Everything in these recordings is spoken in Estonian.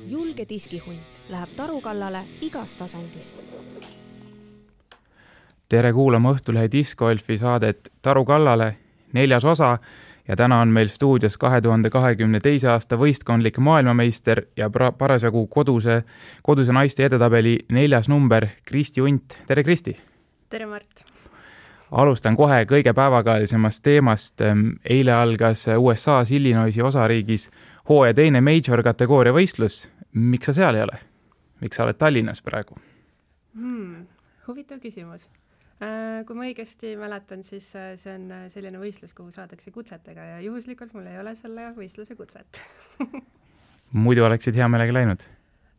julge diskihunt läheb taru kallale igast asendist. Tere kuulama Õhtulehe Discgolfi saadet Taru kallale, 4. osa ja täna on meil stuudios 2022. aasta võistkondlik maailmameister ja parasjagu koduse naiste edetabeli 4. number Kristi Unt. Tere Kristi! Tere Mart! Alustan kohe kõige päevakajalisemast teemast. Eile algas USA's Illinoisi osariigis hooaja teine major kategooria võistlus. Miks sa seal ei ole? Miks sa oled Tallinnas praegu? Huvitav küsimus. Kui ma õigesti mäletan, siis see on selline võistlus, kuhu saadakse kutsetega ja juhuslikult mul ei ole selle võistluse kutset. Muidu oleksid hea meelega läinud?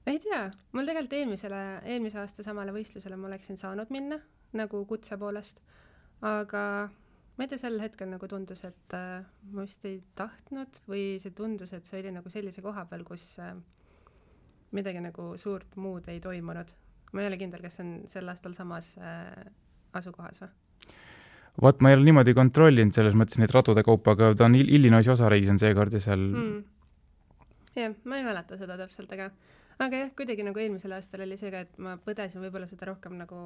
Ei tea. Mul tegelikult eelmise aasta samale võistlusele ma oleksin saanud minna nagu kutse poolest, aga ma ei tea, sel hetkel nagu tundus, et ma vist ei tahtnud või see tundus, et see oli nagu sellise koha peal, kus midagi nagu suurt muud ei toimunud. Ma ei ole kindel, kas on sel aastal samas asukohas või? Vot ma ei ole niimoodi kontrollinud selles mõttes neid radude kaupa, aga ta on Illinoisi osariigis on seekord ja seal... Jah, ma ei mäleta seda täpselt, aga jah, kuidagi nagu eelmisel aastal oli see ka, et ma põdesin võib-olla seda rohkem nagu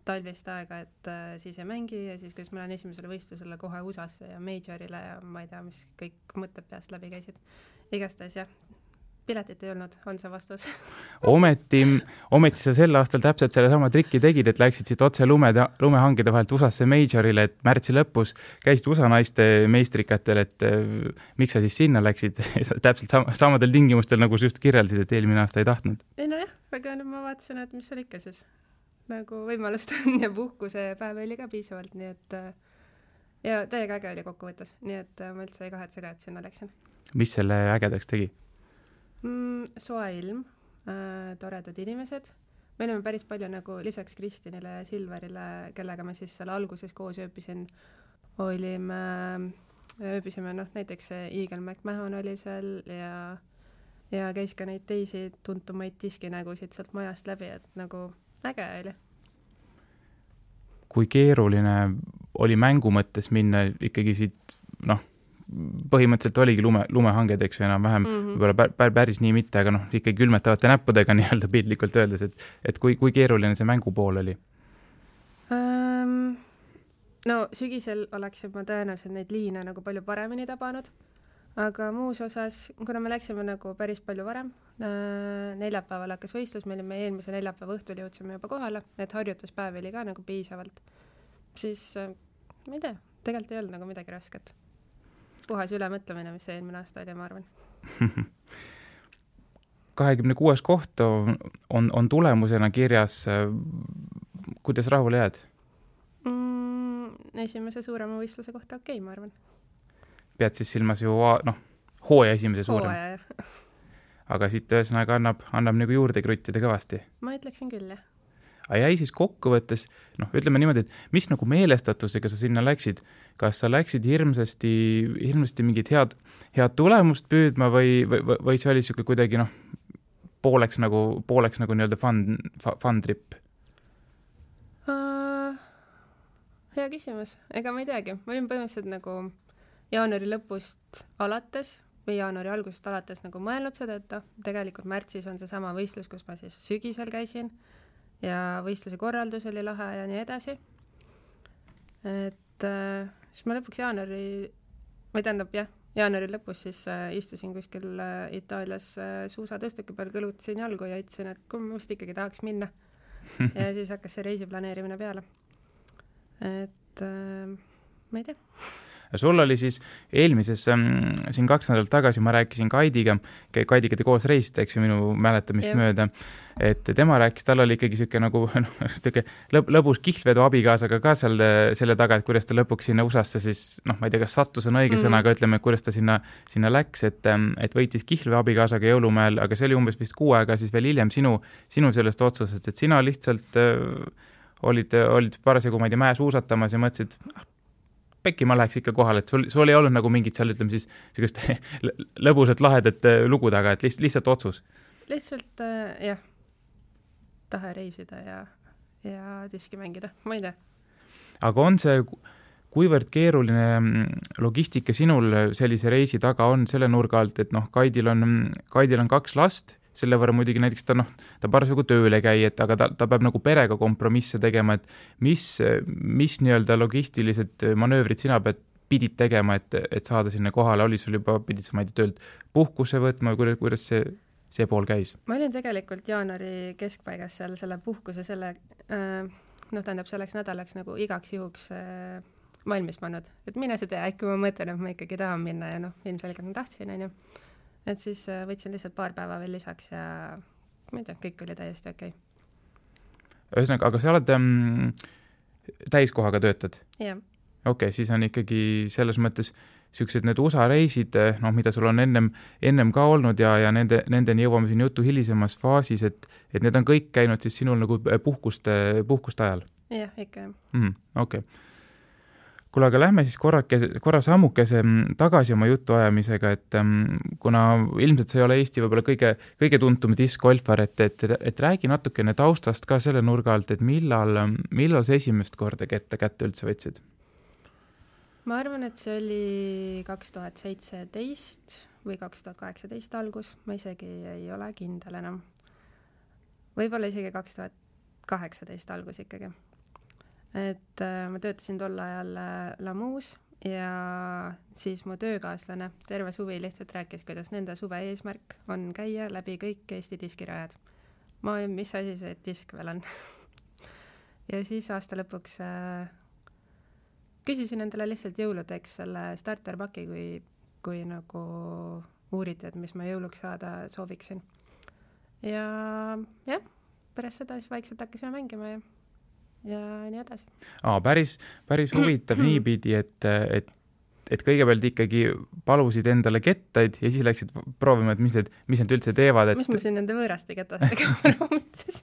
talvist aega, et siis ei mängi ja siis, kuidas ma olen esimesele võistlusele kohe USA-sse ja majorile ja ma ei tea, mis kõik mõtted peast läbi käisid. Igastahes jah, piletit ei olnud, on see vastus. Ometi sa sel aastal täpselt selle sama trikki tegid, et läksid siit otse lumehangide vahelt USA-sse majorile, et märtsi lõpus käisid USA naiste meistrikatel, et miks sa siis sinna läksid täpselt samadel tingimustel, nagu sa just kirjeldasid, et eelmine aasta ei tahtnud? Ei no jah, aga nüüd ma vaatasin, et mis seal ikka siis nagu võimalust on ja puhkuse päev oli ka piisavalt, nii et ja täiega äge oli kokkuvõttes, nii et ma üldse ei kahetse ka, et sinna läksin. Mis selle ägedaks tegi? Soe ilm, toredad inimesed. Me olime päris palju nagu lisaks Kristinile ja Silverile, kellega me siis seal alguses koos ööbisime näiteks Eagle McMahon oli seal ja käis ka neid teisi tuntumaid diskinägusid sealt majast läbi, et nagu äge oli. Kui keeruline oli mängu mõttes minna ikkagi siit, põhimõtteliselt oligi lumehanged, eks ju, enam-vähem, võib-olla päris nii mitte, aga ikkagi külmetavate näppudega nii-öelda pildlikult öeldes, et kui keeruline see mängu pool oli? No sügisel oleksin ma tõenäoliselt neid liine nagu palju paremini tabanud, aga muus osas, kuna me läksime nagu päris palju varem, neljapäeval hakkas võistlus, me olime eelmise neljapäeva õhtul jõudsime juba kohale, et harjutuspäev oli ka nagu piisavalt, siis ma ei tea, tegelikult ei olnud nagu midagi rasket. Puhas ülemõtlemine, mis eelmine aasta oli, ma arvan. 26 koht on tulemusena kirjas. Kuidas rahule jääd? Esimese suurema võistluse kohta okei, ma arvan. Pead siis silmas ju hooaja esimese suurem. Hooaja, jah. Aga siit ühesõnaga annab nagu juurde kruttida kõvasti. Ma ütleksin küll, jah. Aga jäi siis kokkuvõttes, ütleme niimoodi, et mis nagu meelestatusega sa sinna läksid? Kas sa läksid hirmsasti mingit head tulemust püüdma või see oli siuke kuidagi pooleks nagu nii-öelda fun trip? Hea küsimus. Ega ma ei teagi. Ma olin põhimõtteliselt nagu jaanuari lõpust alates või jaanuari algusest alates nagu mõelnud seda, et tegelikult märtsis on see sama võistlus, kus ma siis sügisel käisin ja võistluse korraldus oli lahe ja nii edasi. Et siis ma lõpuks jaanuari lõpus siis istusin kuskil Itaalias suusatõstuki peal, kõlutasin jalgu ja ütlesin, et kui ma vist ikkagi tahaks minna. Ja siis hakkas see reisi planeerimine peale. Et ma ei tea. Sul oli siis eelmises, siin 2 nädalat tagasi ma rääkisin Kaidiga te koos reisite, eks ju, minu mäletamist mööda, et tema rääkis, tal oli ikkagi siuke nagu lõbus kihlvedu abikaasaga ka selle taga, et kuidas ta lõpuks sinna USA-sse siis, ma ei tea, kas sattus on õige sõna, aga ütleme, kuidas ta sinna läks, et võitis kihlve abikaasaga jõulumäel, aga see oli umbes vist 6 aega siis veel hiljem sinu sellest otsusest, et sina lihtsalt olid parasjagu, ma ei tea, mäe suusatamas ja mõtlesid, pekki ma läheks ikka kohale, et sul ei olnud nagu mingit seal, ütleme siis, lõbusat lahedat lugu taga, et lihtsalt otsus. Lihtsalt, jah, tahe reisida ja diski mängida, ma ei tea. Aga on see, kuivõrd keeruline logistika sinul sellise reisi taga on selle nurga alt, et Kaidil on 2 last, selle võrra muidugi näiteks ta parasjagu tööle käi, et aga ta peab nagu perega kompromisse tegema, et mis nii-öelda logistilised manöövrid sina pidid tegema, et saada sinna kohale, oli sul juba, pidid sa, ma ei tea, töölt puhkuse võtma või kuidas see pool käis? Ma olin tegelikult jaanuari keskpaigas seal selle puhkuse selleks nädalaks nagu igaks juhuks valmis pannud, et mine see tea, äkki ma mõtlen, et ma ikkagi tahan minna ja ilmselgelt ma tahtsin, onju. Et siis võtsin lihtsalt paar päeva veel lisaks ja ma ei tea, kõik oli täiesti okei. Ühesõnaga, aga sa oled täiskohaga töötad? Jah. Okei, siis on ikkagi selles mõttes sellised need USA reisid, mida sul on ennem ka olnud ja nendeni jõuame siin jutu hilisemas faasis, et need on kõik käinud siis sinul nagu puhkuste ajal? Jah, ikka. Okei. Kuule, aga lähme siis korra sammukese tagasi oma jutu ajamisega, et kuna ilmselt sa ei ole Eesti võib-olla kõige tuntum diskgolfar, et räägi natukene taustast ka selle nurga alt, et millal sa esimest korda kätte üldse võtsid? Ma arvan, et see oli 2017 või 2018 algus, ma isegi ei ole kindel enam. Võib-olla isegi 2018 algus ikkagi. Et ma töötasin tol ajal Lamuus ja siis mu töökaaslane terve suvi lihtsalt rääkis, kuidas nende suve eesmärk on käia läbi kõik Eesti diskirajad. Ma olin, mis asi see disk veel on? Ja siis aasta lõpuks küsisin endale lihtsalt jõuludeks selle starterpaki, kui nagu uuriti, et mis ma jõuluks saada sooviksin. Ja pärast seda siis vaikselt hakkasime mängima ja nii edasi. Päris huvitav niipidi, et kõigepealt ikkagi palusid endale kettaid ja siis läksid proovima, et mis need üldse teevad. Mis ma siin nende võõraste kettadega proovitses?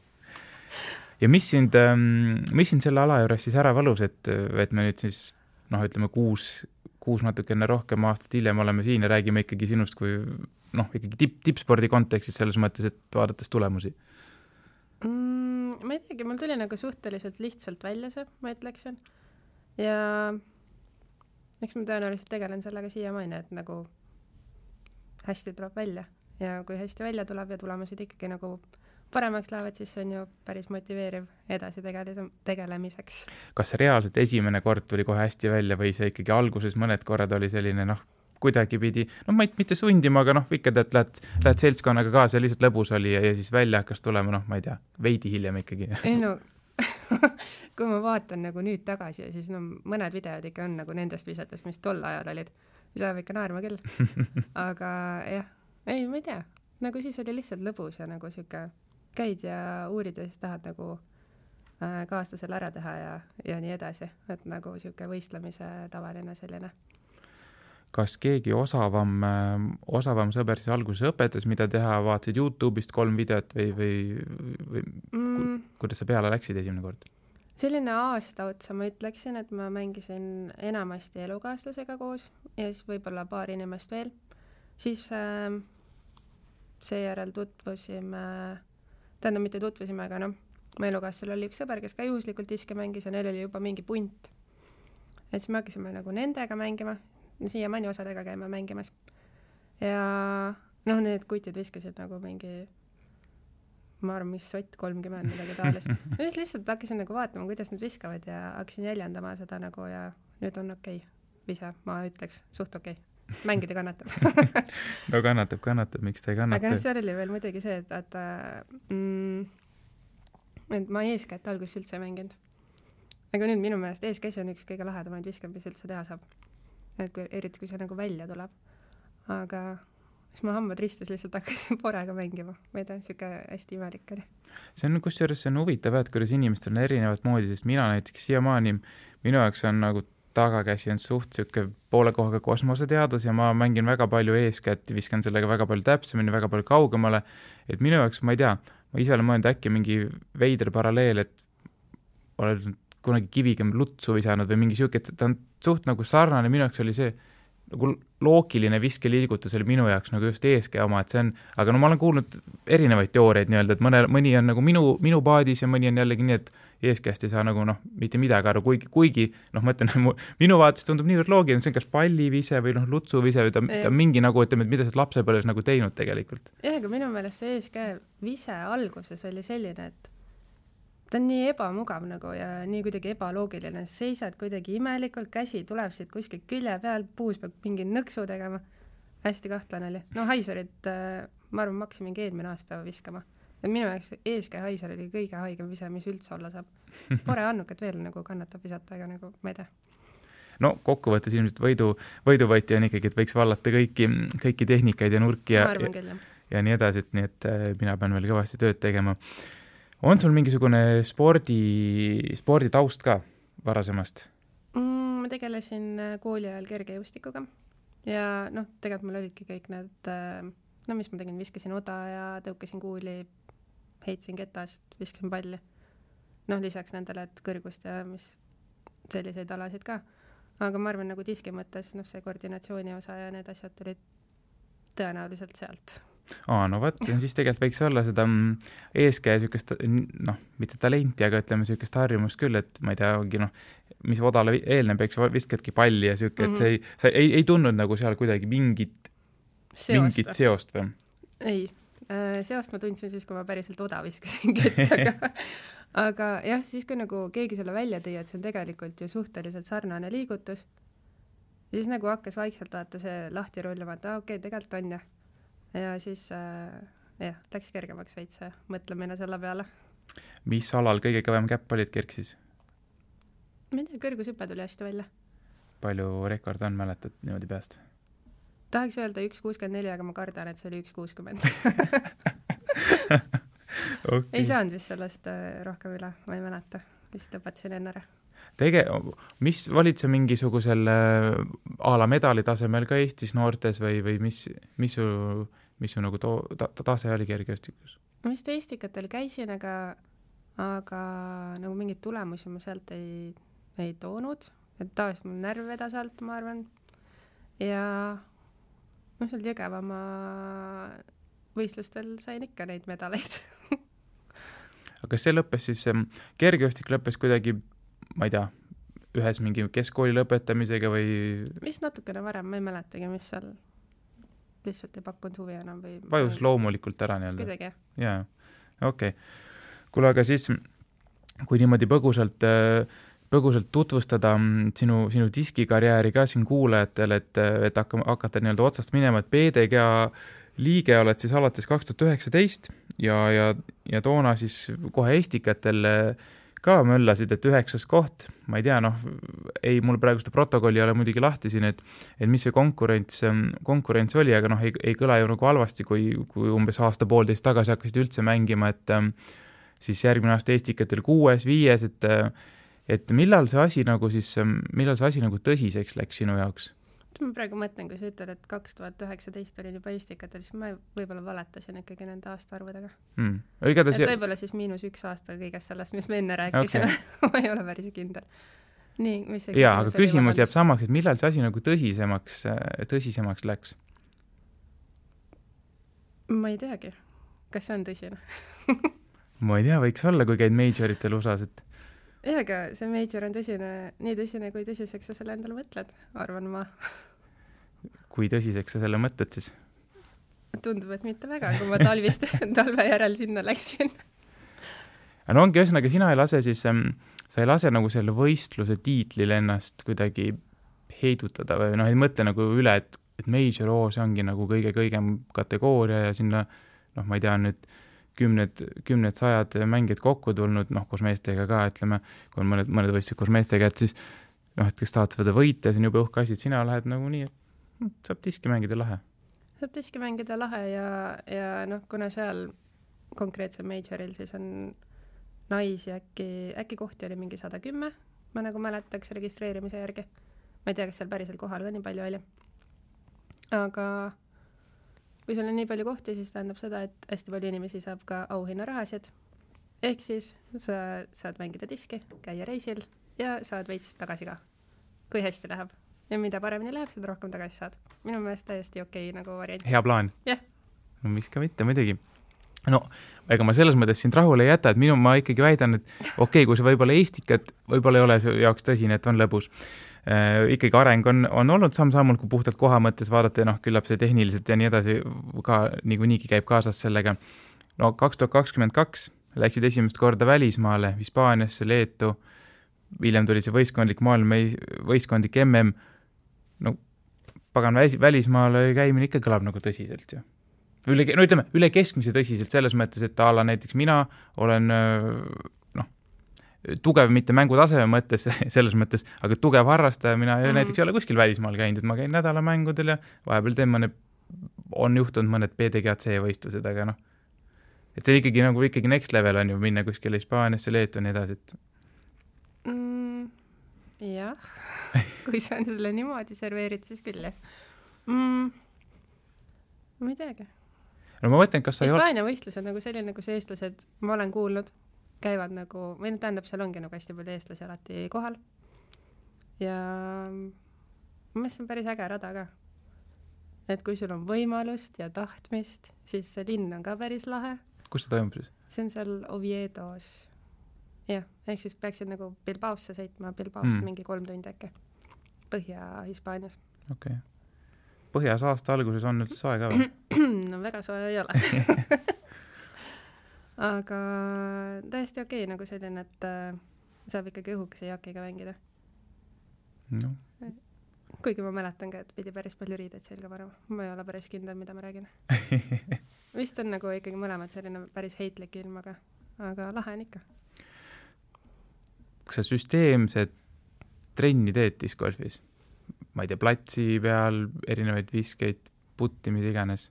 Ja mis sind selle ala juures siis ära valus, et me nüüd siis, ütleme, kuus natukene rohkem aastat hiljem oleme siin ja räägime ikkagi sinust kui ikkagi tippspordi kontekstis selles mõttes, et vaadates tulemusi? Ma ei teagi, mul tuli nagu suhteliselt lihtsalt välja see, ma ütleksin. Ja eks ma tõenäoliselt tegelen sellega siiamaani, et nagu hästi tuleb välja. Ja kui hästi välja tuleb ja tulemused ikkagi nagu paremaks lähevad, siis see on ju päris motiveeriv edasi tegelemiseks. Kas reaalselt esimene kord tuli kohe hästi välja või see ikkagi alguses mõned korrad oli selline, kuidagi pidi, mitte sundima, aga ikka tead, lähed seltskonnaga kaasa, lihtsalt lõbus oli ja siis välja hakkas tulema, ma ei tea, veidi hiljem ikkagi. Ei kui ma vaatan nagu nüüd tagasi ja siis mõned videod ikka on nagu nendest visetest, mis tol ajal olid, siis ajab ikka naerma küll. Aga jah, ma ei tea, nagu siis oli lihtsalt lõbus ja nagu siuke käid ja uurid ja siis tahad nagu kaaslasel ära teha ja nii edasi, et nagu siuke võistlemise tavaline selline. Kas keegi osavam sõber siis alguses õpetas, mida teha, vaatasid YouTube'ist 3 videot või kuidas sa peale läksid esimene kord? Selline aasta otsa ma ütleksin, et ma mängisin enamasti elukaaslasega koos ja siis võib-olla paar inimest veel. Siis seejärel mitte tutvusime, aga mu elukaaslasel oli üks sõber, kes ka juhuslikult diske mängis ja neil oli juba mingi punt. Et siis me hakkasime nagu nendega mängima, siiamaani osadega käime mängimas. Ja need kutid viskasid nagu mingi, ma arvan, mis sott 30 midagi taolist. Ja siis lihtsalt hakkasin nagu vaatama, kuidas nad viskavad ja hakkasin jäljendama seda nagu ja nüüd on okei. Vise, ma ütleks, suht okei. Mängida kannatab. Kannatab, miks ta ei kannata? Aga seal oli veel muidugi see, et ma eeskätt alguses üldse ei mänginud. Aga nüüd minu meelest eeskäsi on üks kõige lahedamaid viskab, mis üldse teha saab. Et eriti kui see nagu välja tuleb. Aga siis ma hambad ristis lihtsalt hakkasin porega mängima. Ma ei tea, siuke hästi imelik oli. See on huvitav, et kuidas inimestel on erinevat moodi, sest mina näiteks siiamaani, minu jaoks on nagu tagakäsi on suht siuke poole kohaga kosmoseteadus ja ma mängin väga palju eeskätt, viskan sellega väga palju täpsemini, väga palju kaugemale. Et minu jaoks, ma ei tea, ma ise olen mõelnud äkki mingi veider paralleel, et olen kunagi kiviga lutsu visanud või mingi siuke, et ta on suht nagu sarnane, minu jaoks oli see, nagu loogiline viskeliigutus oli minu jaoks nagu just eeskää oma, et see on, aga no ma olen kuulnud erinevaid teooriaid nii-öelda, et mõni on nagu minu paadis ja mõni on jällegi nii, et eeskääst ei saa nagu mitte midagi aru, kuigi ma ütlen, minu vaates tundub niivõrd loogiline, see on kas pallivise või lutsuvise või ta mingi nagu, ütleme, et mida sa lapsepõlves nagu teinud tegelikult. Jah, aga minu meelest see eeskää vise alguses oli selline, et ta on nii ebamugav nagu ja nii kuidagi ebaloogiline, seisad kuidagi imelikult, käsi tuleb siit kuskilt külje peal, puus peab mingi nõksu tegema. Hästi kahtlane oli. No haiserid, ma arvan, ma hakkasin mingi eelmine aasta viskama. Ja minu jaoks eeskää haiser oli kõige haigem vise, mis üldse olla saab. Pore annukat veel nagu kannatab visata, aga nagu ma ei tea. No kokkuvõttes ilmselt võiduvõiti on ikkagi, et võiks vallata kõiki tehnikaid ja nurki ja nii edasi, et nii et mina pean veel kõvasti tööd tegema. On sul mingisugune spordi taust ka varasemast? Ma tegelesin kooli ajal kergejõustikuga ja tegelikult mul olidki kõik need, mis ma tegin, viskasin oda ja tõukasin kuuli, heitsin ketast, viskasin palli. Lisaks nendele, et kõrgust ja mis selliseid alasid ka. Aga ma arvan, nagu diski mõttes, see koordinatsiooni osa ja need asjad tulid tõenäoliselt sealt. No võt, siis tegelikult võiks olla seda eeskää sükest, mitte talenti, aga ütleme sükest harjumust küll, et ma ei tea, ongi mis odale eelneb, eks viskadki palli ja süke, et see ei tundnud nagu seal kuidagi mingit seost või? Ei, seost ma tundsin siis, kui ma päriselt oda viskasin kettaga. Aga jah, siis kui nagu keegi selle välja tõi, et see on tegelikult ju suhteliselt sarnane liigutus, siis nagu hakkas vaikselt vaata see lahti rulluma, et okei, tegelikult on jah. Ja siis läks kergemaks veits mõtlemine selle peale. Mis alal kõige kõvem käpp olid kerksis? Ma ei tea, kõrgushüpe tuli hästi välja. Palju rekord on, mäletad niimoodi peast? Tahaks öelda 1.64, aga ma kardan, et see oli 1.60. Okay. Ei saanud vist sellest rohkem üle, ma ei mäleta. Vist lõpetasin enne ära. Mis valid sa mingisugusel ala medali tasemel ka Eestis noortes või mis su nagu tase oli kergejõustikus? Ma vist eestikatel käisin, aga nagu mingid tulemusi ma sealt ei toonud. Et tavaliselt mul närv vedas alt, ma arvan. Ja seal Jõgevama võistlustel sain ikka neid medaleid. Aga kas see lõppes siis, kergejõustik lõppes kuidagi, ma ei tea, ühes mingi keskkooli lõpetamisega või? Mis natukene varem, ma ei mäletagi, mis seal lihtsalt ei pakkunud huvi enam või... Vajus loomulikult ära nii-öelda. Kuidagi, jah. Jaa, okei. Kuule, aga siis, kui niimoodi põgusalt tutvustada sinu diskikarjääri ka siin kuulajatele, et hakata nii-öelda otsast minema, et PDGA liige oled siis alates 2019 ja toona siis kohe Estikatel ka möllasid, et 9. koht, ma ei tea, mul praegu seda protokolli ei ole muidugi lahti siin, et mis see konkurents oli, aga ei kõla ju nagu halvasti, kui umbes aasta-poolteist tagasi hakkasid üldse mängima, et siis järgmine aasta Estikatel 6., 5., et millal see asi nagu tõsiseks läks sinu jaoks? Ma praegu mõtlen, kui sa ütled, et 2019 olin juba Estikatel, siis ma võib-olla valetasin ikkagi nende aastaarvudega. Võib-olla siis -1 aasta kõigest sellest, mis me enne rääkisime. Okay. Ma ei ole päris kindel. Nii, mis see jaa, aga küsimus jääb samaks, et millal see asi nagu tõsisemaks läks? Ma ei teagi. Kas see on tõsine? Ma ei tea, võiks olla, kui käid majoritel USA-s, et aga see major on nii tõsine, kui tõsiseks sa selle endale mõtled, arvan ma. Kui tõsiseks sa selle mõtled siis? Tundub, et mitte väga, kui ma talve järel sinna läksin. No ongi ühesõnaga, sina sa ei lase nagu selle võistluse tiitlil ennast kuidagi heidutada või ei mõtle nagu üle, et major, see ongi nagu kõigem kategooria ja sinna, ma ei tea nüüd, kümned sajad mängijad kokku tulnud, koos meestega ka, ütleme, kui on mõned võistlused koos meestega, et siis, et kes tahad seda võita, see on juba uhke asi, et sina lähed nagu nii, et saab diski mängida lahe. Saab diski mängida lahe ja kuna seal konkreetse majoril siis on naisi äkki kohti oli mingi 110, ma nagu mäletaks registreerimise järgi. Ma ei tea, kas seal päriselt kohal ka nii palju oli. Aga kui sul on nii palju kohti, siis tähendab seda, et hästi palju inimesi saab ka auhinnarahasid. Ehk siis sa saad mängida diski, käia reisil ja saad veits tagasi ka, kui hästi läheb. ja mida paremini läheb, seda rohkem tagasi saad. Minu meelest täiesti okei nagu variant. Hea plaan. Jah. No miks ka mitte, muidugi. No, ega ma selles mõttes sind rahule ei jäta, et ma ikkagi väidan, et okei, kui see võib-olla Eestikat, võib-olla ei ole see jaoks tõsine, et on lõbus. Ikkagi areng on olnud samm-sammult, kui puhtalt koha mõttes vaadata ja küllap see tehniliselt ja nii edasi ka niigi käib kaasas sellega. No 2022 läksid esimest korda välismaale, Hispaaniasse, Leetu, hiljem tuli see võistkondlik MM. No pagan välismaale käimine ikka kõlab nagu tõsiselt ju. Üle keskmise tõsiselt selles mõttes, et ala näiteks mina olen tugev mitte mängutaseme mõttes, selles mõttes, aga tugev harrastaja, mina näiteks ei ole kuskil välismaal käinud, ma käin nädalamängudel ja vahepeal on juhtunud mõned PDGC võistlused, aga et see ikkagi next level on ju minna kuskile Hispaaniasse, Leetu ja nii edasi, et jah, kui sa on selle niimoodi serveerid, siis küll jah. Ma ei teagi. No ma mõtlen, kas sa Hispaania võistlus on nagu selline, kus eestlased, ma olen kuulnud, käivad nagu, või tähendab, seal ongi nagu hästi palju eestlasi alati kohal. Ja ma mõtlen, päris äge rada ka. Et kui sul on võimalust ja tahtmist, siis see linn on ka päris lahe. Kus see toimub siis? See on seal Oviedos. Jah, ehk siis peaksid nagu Bilbaosse sõitma, Bilbaosse mingi 3 tundi äkki. Põhja-Hispaanias. Okei. Põhjas aasta alguses on üldse soe ka või? No väga soe ei ole. Aga täiesti okei, nagu selline, et saab ikkagi õhukese jakiga mängida. No. Kuigi ma mäletan ka, et pidi päris palju riideid selga panema. Ma ei ole päris kindel, mida ma räägin. Vist on nagu ikkagi mõlemad selline päris heitlik ilm, aga lahe on ikka. Kas sa süsteemsed trenni teed discgolfis? Ma ei tea, platsi peal, erinevaid viskeid, putti, mida iganes?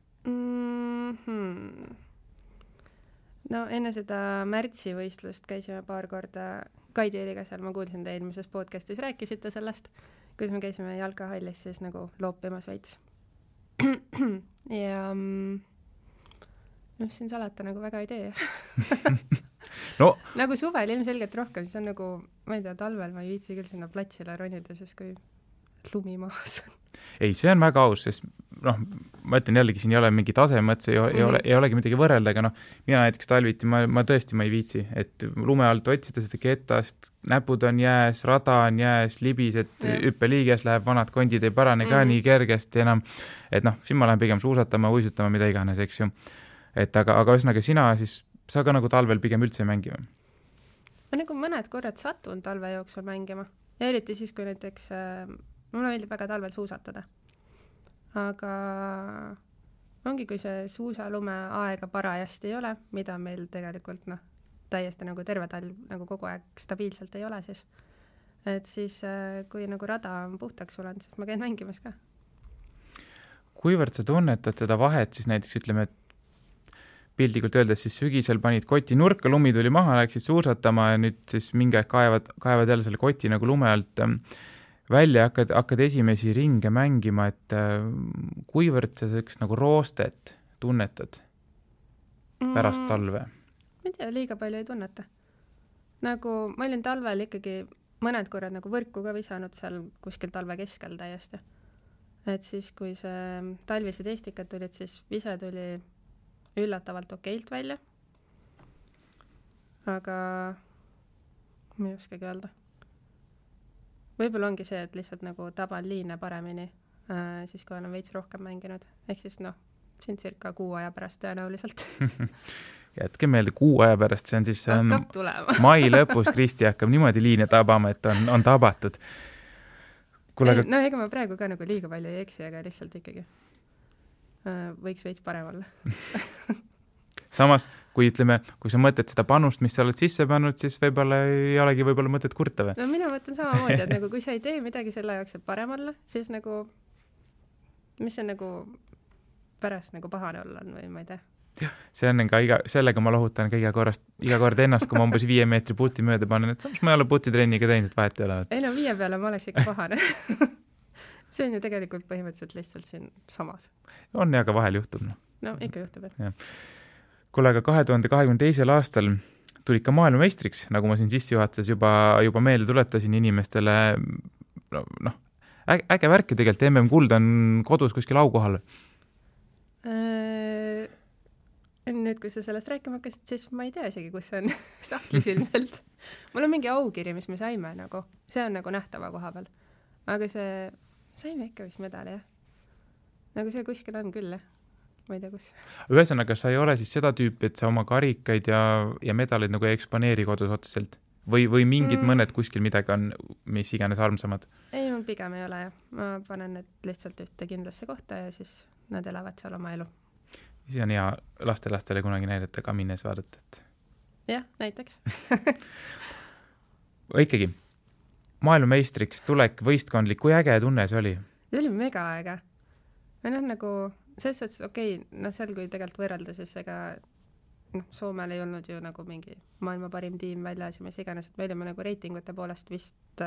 No enne seda märtsivõistlust käisime paar korda Kaidi Eliga seal, ma kuulsin te eelmises podcastis, rääkisite sellest, kuidas me käisime jalkahallis siis nagu loopimas veits. Ja siin salata nagu väga ei tee. No. Nagu suvel ilmselgelt rohkem, siis on nagu, ma ei tea, talvel ma ei viitsi küll sinna platsile ronida, siis kui lumi maas on. Ei, see on väga aus, sest ma ütlen jällegi, siin ei ole mingi tasemõttes, ei olegi midagi võrrelda, aga mina näiteks talviti, ma tõesti ma ei viitsi, et lume alt otsida seda ketast, näpud on jääs, rada on jääs, libised, hüppeliiges läheb, vanad kondid ei parane ka nii kergesti enam, et siin ma lähen pigem suusatama, uisutama, mida iganes, eks ju. Et aga ühesõnaga sina siis, sa ka nagu talvel pigem üldse mängima? Ma nagu mõned korrad satun talve jooksul mängima. Ja eriti siis, kui näiteks mulle meeldib väga talvel suusatada. Aga ongi, kui see suusalume aega parajasti ei ole, mida meil tegelikult täiesti nagu terve talv nagu kogu aeg stabiilselt ei ole siis. Et siis, kui nagu rada on puhtaks sulenud, siis ma käin mängimas ka. Kuivõrd sa tunnetad seda vahet, siis näiteks ütleme, et pildikult öeldes siis sügisel panid koti nurka, lumi tuli maha, läksid suusatama ja nüüd siis mingi aeg kaevad jälle selle koti nagu lume alt välja ja hakkad esimesi ringe mängima, et kuivõrd sa selleks nagu roostet tunnetad pärast talve? Ma ei tea, liiga palju ei tunneta. Nagu ma olin talvel ikkagi mõned korrad nagu võrku ka visanud seal kuskil talve keskel täiesti. Et siis, kui see talvised eestikad tulid, siis vise tuli üllatavalt okeilt välja. Aga ma ei oskagi öelda. Võib-olla ongi see, et lihtsalt nagu taban liine paremini, siis kui olen veits rohkem mänginud. Ehk siis siin circa 6 aja pärast tõenäoliselt. Jätke meelde 6 aja pärast, see on siis mai lõpus Kristi hakkab niimoodi liine tabama, et on tabatud. No ega ma praegu ka nagu liiga palju ei eksi, aga lihtsalt ikkagi võiks veits parem olla. Samas, kui sa mõtled seda panust, mis sa oled sisse pannud, siis võib-olla ei olegi mõtet kurta või? No mina mõtlen samamoodi, et nagu kui sa ei tee midagi selle jaoks, et parem olla, siis nagu, mis see nagu pärast nagu pahane olla on või ma ei tea. Jah, see on ka sellega ma lohutan ka iga kord ennast, kui ma umbes 5 meetri puti mööda panen, et samas ma ei ole putitrenniga teinud, vahet ei ole. Ei no 5 peale ma oleks ikka pahane. See on ju tegelikult põhimõtteliselt lihtsalt siin samas. On ja ka vahel juhtub. No ikka juhtub, jah. Kuule, aga 2022. aastal tulid ka maailmameistriks, nagu ma siin sissejuhatuses juba meelde tuletasin inimestele, äge värk ju tegelikult, MM-kuld on kodus kuskil aukohal. Nüüd, kui sa sellest rääkima hakkasid, siis ma ei tea isegi, kus see on sahtlis ilmselt. Mul on mingi aukiri, mis me saime nagu, see on nagu nähtava koha peal. Aga saime ikka vist medali, jah. Nagu see kuskil on küll, jah. Ma ei tea, kus. Ühesõnaga, sa ei ole siis seda tüüpi, et sa oma karikaid ja medaleid nagu ei eksponeeri kodus otseselt? Või mingid mõned kuskil midagi on, mis iganes armsamad? Ei, mul pigem ei ole, jah. Ma panen need lihtsalt ühte kindlasse kohta ja siis nad elavad seal oma elu. See on hea lastele kunagi näidata, kamines vaadata, et... Jah, näiteks. Ikkagi, maailmameistriks tulek võistkondlik, kui äge tunne see oli? See oli mega äge. Meil on nagu, selles suhtes, seal kui tegelikult võrrelda, siis ega Soomel ei olnud ju nagu mingi maailma parim tiim väljas ja mis iganes, et me olime nagu reitingute poolest vist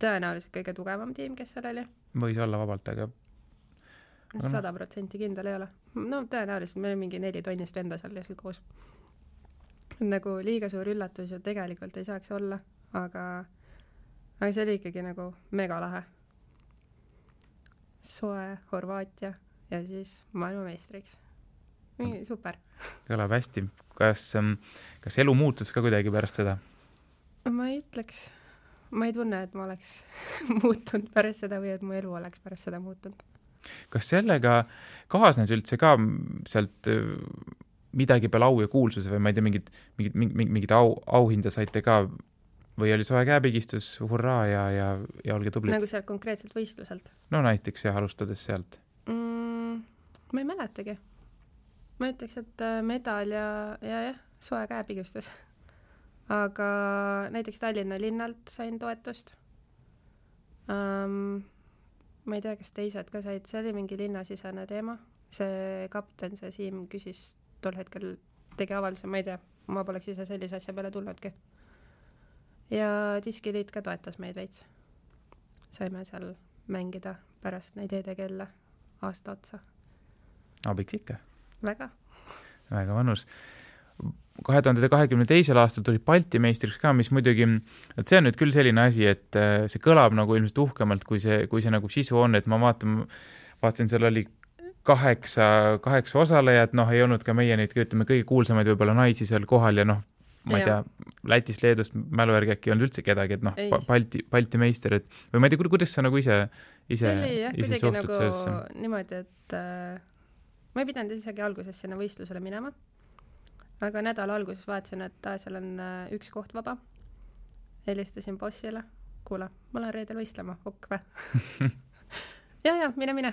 tõenäoliselt kõige tugevam tiim, kes seal oli. Võis olla vabalt, aga 100% kindel ei ole. No tõenäoliselt meil on mingi 4 tonnist venda seal lihtsalt koos. Nagu liiga suur üllatus ju tegelikult ei saaks olla, aga see oli ikkagi nagu mega lahe. Soe Horvaatia ja siis maailmameistriks. Super. Kõlab hästi. Kas elu muutus ka kuidagi pärast seda? Ma ei ütleks. Ma ei tunne, et ma oleks muutunud pärast seda või et mu elu oleks pärast seda muutunud. Kas sellega kaasnes üldse ka sealt midagi peale au ja kuulsuse või ma ei tea, mingid auhinda saite ka või oli soe käepigistus, hurraa ja olge tublid? Nagu sealt konkreetselt võistluselt? No näiteks jah, alustades sealt. Ma ei mäletagi. Ma ütleks, et medal ja soe käepigistus. Aga näiteks Tallinna linnalt sain toetust. Ma ei tea, kas teised ka said, see oli mingi linnasisene teema. See kapten, see Siim küsis tol hetkel, tegi avalduse, ma ei tea, ma poleks ise sellise asja peale tulnudki. Ja diskiliit ka toetas meid veits. Saime seal mängida pärast neid ED-kella aasta otsa. Abiks ikka. Väga vanus. 2022. aastal tuli Balti meistriks ka, mis muidugi, et see on nüüd küll selline asi, et see kõlab nagu ilmselt uhkemalt, kui see nagu sisu on, et ma vaatasin, seal oli 8 osalejat, ei olnud ka meie neid, ütleme, kõige kuulsamaid võib-olla naisi seal kohal ja ma ei tea, Lätist, Leedust, mäluärgi äkki ei olnud üldse kedagi, et Balti meister, et või ma ei tea, kuidas sa nagu ise suhtud nagu sellesse? Niimoodi, et ma ei pidanud isegi alguses sinna võistlusele minema. Aga nädala alguses vaatasin, et seal on 1 koht vaba. Helistasin bossile. Kuule, ma olen reedel võistlema. Okk või? ja, mine.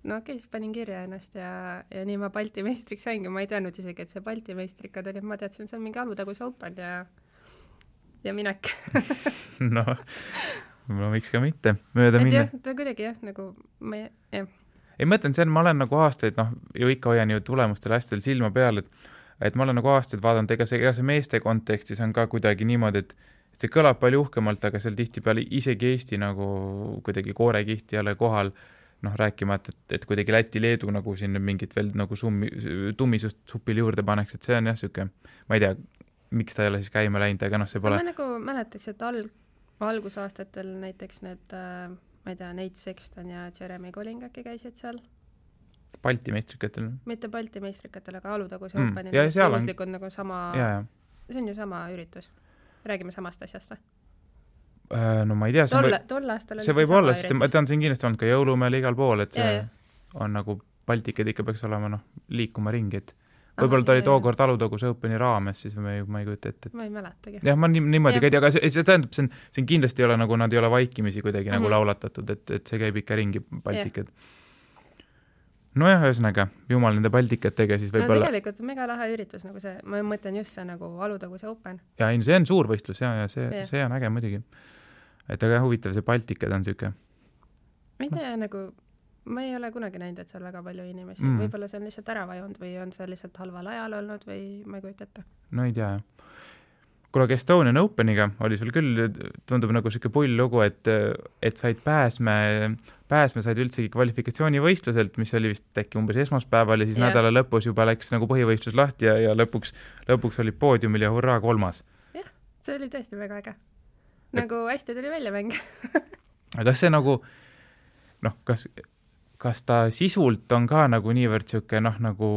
No okei, siis panin kirja ennast ja nii ma Balti meistriks saingi. Ma ei teadnud isegi, et see Balti meistrikad oli. Ma teadsin, see on mingi Alutagus Open ja minek. no, miks ka mitte. Mööda minna. Ta kuidagi jah, nagu Ei mõtlen, ma olen nagu aastaid, ju ikka hoian ju tulemustele hästi silma peal, et ma olen nagu aastaid vaadanud, ega see meeste kontekstis on ka kuidagi niimoodi, et see kõlab palju uhkemalt, aga seal tihtipeale isegi Eesti nagu kuidagi koorekihti jälle kohal, rääkimata, et kuidagi Läti-Leedu nagu siin mingit veel nagu tummisust supile juurde paneks, et see on jah süke, ma ei tea, miks ta ei ole siis käima läinud, aga see pole... Ma nagu mäletaks, et algusaastatel näiteks need, ma ei tea, Nate Sexton ja Jeremy Colling äkki käisid seal. Balti meistrikatel? Mitte Balti meistrikatel, aga Alutagus Openil. Suuruslikud nagu sama... See on ju sama üritus. Räägime samast asjast või? No ma ei tea. Tol aastal oli see võib olla, sest ma tean, siin kindlasti olnud ka jõulumäel igal pool, et see on nagu Baltikad ikka peaks olema liikuma ringi, et võib-olla ta oli tookord Alutagus Openi raames, siis ma ei kujuta ette. Ma ei mäletagi. Jah, ma niimoodi käidi, aga see tähendab, see kindlasti ei ole nagu, nad ei ole vaikimisi kuidagi nagu laulatatud, et see käib ikka ringi Baltikad. Nojah, ühesõnaga, jumal nende Baltikatega siis võib-olla... No tegelikult mega lahe üritus, nagu see, ma mõtlen just see nagu Alutagus Open. Ja see on suur võistlus ja see on äge muidugi. Et aga huvitav, see Baltikad on süke. Ma ei tea, nagu, ma ei ole kunagi näinud, et seal väga palju inimesi. Võib-olla see on lihtsalt ära vajunud või on see lihtsalt halval ajal olnud või ma ei kujuta ette. No ei tea, jah. Kuule, Estonian Openiga oli sul küll, tundub nagu siuke pull lugu, et said pääsme said üldsegi kvalifikatsioonivõistluselt, mis oli vist äkki umbes esmaspäeval ja siis nädala lõpus juba läks nagu põhivõistlus lahti ja lõpuks oli poodiumil ja hurraa 3. Jah, see oli tõesti väga äge. Nagu hästi tuli välja mäng. aga kas see nagu, noh, kas ta sisult on ka nagu niivõrd siuke nagu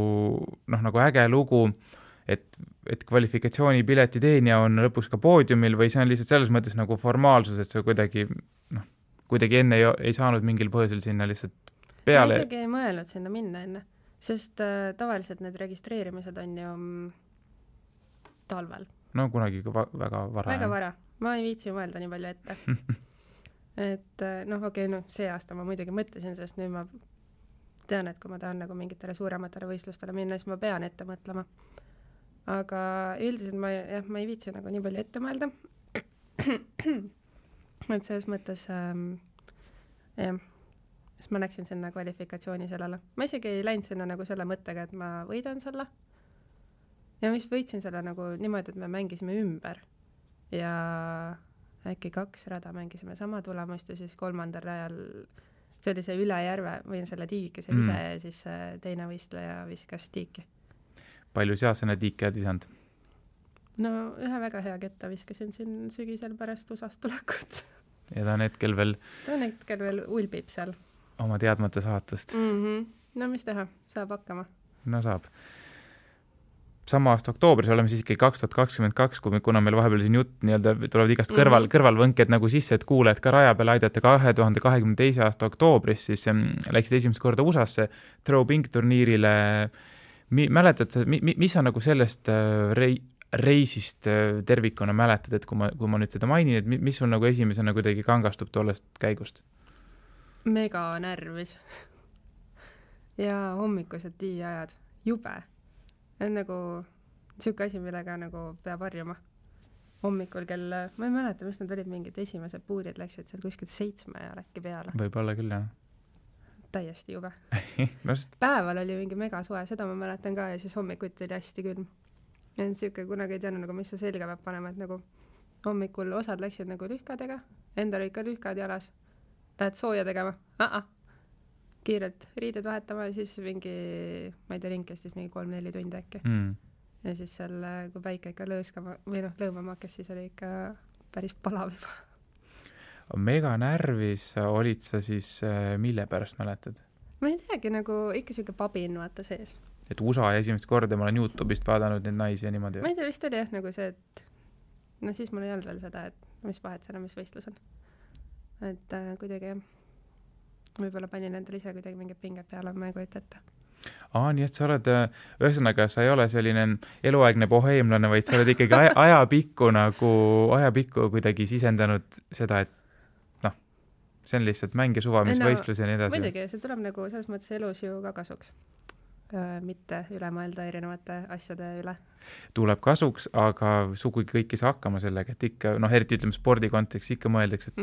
äge lugu, et kvalifikatsioonipileti teenija on lõpuks ka poodiumil või see on lihtsalt selles mõttes nagu formaalsus, et see kuidagi enne ei saanud mingil põhjusel sinna lihtsalt peale? Ma isegi ei mõelnud sinna minna enne, sest tavaliselt need registreerimised on ju talvel. No kunagi väga vara. Väga vara. Ma ei viitsi mõelda nii palju ette. Et see aasta ma muidugi mõtlesin, sest nüüd ma tean, et kui ma tahan nagu mingitele suurematele võistlustele minna, siis ma pean ette mõtlema. Aga üldiselt ma ei viitsi nagu nii palju ette mõelda. Et selles mõttes siis ma läksin sinna kvalifikatsiooni sellele. Ma isegi ei läinud sinna nagu selle mõttega, et ma võidan selle. Ja mis võitsin selle nagu niimoodi, et me mängisime ümber. Ja äkki 2 rada mängisime sama tulemust ja siis 3. rajal see oli see üle järve või selle tiigikese vise ja siis teine võistleja viskas tiiki. Palju seasena tiiki oled visanud? No ühe väga hea ketta viskasin siin sügisel pärast USAst tulekut. Ja ta on hetkel veel ulbib seal. Oma teadmata saatust. No mis teha, saab hakkama. No saab. Sama aasta oktoobris oleme siis ikkagi 2022, kuna meil vahepeal siin jutt tulevad igast kõrvalvõnked nagu sisse, et kuuled ka raja peale aidata 2022 aasta oktoobris, siis läksid esimest korda USAsse Throwbink turniirile. Mäletad sa, mis sa nagu sellest reisist tervikuna mäletad, et kui ma nüüd seda mainin, et mis sul nagu esimesena kuidagi kangastub tollest käigust? Mega närvis. Ja hommikused tiiajad. Jube. On nagu siuke asi, millega nagu peab harjuma. Hommikul ma ei mäleta, mis nad olid mingid esimesed puurid läksid seal kuskilt 7 ja äkki peale. Võib-olla küll, jah. Täiesti jube. Päeval oli mingi mega soe, seda ma mäletan ka ja siis hommikuti oli hästi külm. Ja siuke kunagi ei teadnud, nagu, mis sa selga peab panema, et nagu hommikul osad läksid nagu lühkadega, endal olid ka lühkad jalas. Lähed sooja tegema? Kiirelt riided vahetama ja siis mingi, ma ei tea, kestis mingi 3-4 tundi äkki. Ja siis seal, kui päike ikka lõõmama hakkas, siis oli ikka päris palav juba. Mega närvis olid sa siis, mille pärast mäletad? Ma ei teagi, nagu ikka siuke pabin vaata sees. Et USA esimest korda ma olen YouTube'ist vaadanud neid naisi ja niimoodi. Ma ei tea, vist oli jah nagu see, et siis mul ei olnud veel seda, et mis vahet seal on, mis võistlus on. Et kuidagi võib-olla panin endale ise kuidagi mingid pinged peale, ma ei kujuta ette. Nii et sa oled, ühesõnaga, sa ei ole selline eluaegne boheemlane, vaid sa oled ikkagi ajapikku kuidagi sisendanud seda, et see on lihtsalt mäng ja suva, mis võistlus ja nii edasi. Muidugi, see tuleb nagu selles mõttes elus ju ka kasuks. Mitte üle mõelda erinevate asjade üle. Tuleb kasuks, aga sugugi kõik ei saa hakkama sellega, et ikka, eriti ütleme spordi kontekst, ikka mõeldaks, et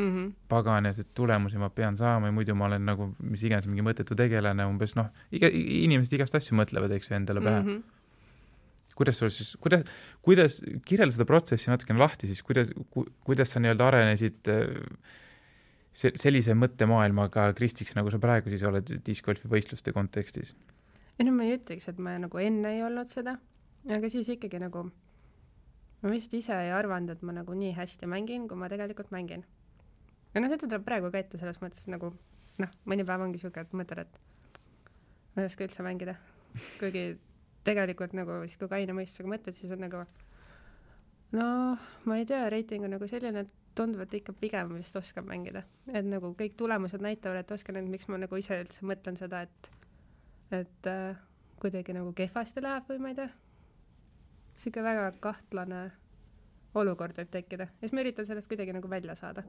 pagan ja see tulemusi ma pean saama ja muidu ma olen nagu, mis iganes mingi mõttetu tegelane, umbes inimesed igast asju mõtlevad, eks ju, endale pähe. Kuidas kirjelda seda protsessi natukene lahti, siis kuidas sa nii-öelda arenesid sellise mõttemaailmaga Kristiks, nagu sa praegu siis oled discgolfi võistluste kontekstis? Ma ei ütleks, et ma nagu enne ei olnud seda, aga siis ikkagi nagu ma vist ise ei arvanud, et ma nagu nii hästi mängin, kui ma tegelikult mängin. Ja seda tuleb praegu ka ette selles mõttes nagu, mõni päev ongi siuke, et mõtled, et ma ei oska üldse mängida. Kuigi tegelikult nagu, siis kui kaine mõistusega mõtled, siis on nagu ma ei tea, reiting on nagu selline, et tundub, et ikka pigem vist oskab mängida. Et nagu kõik tulemused näitavad, et oskan, et miks ma nagu ise üldse mõtlen seda, et kuidagi nagu kehvasti läheb või ma ei tea. Siuke väga kahtlane olukord võib tekkida. Ja siis ma üritan sellest kuidagi nagu välja saada.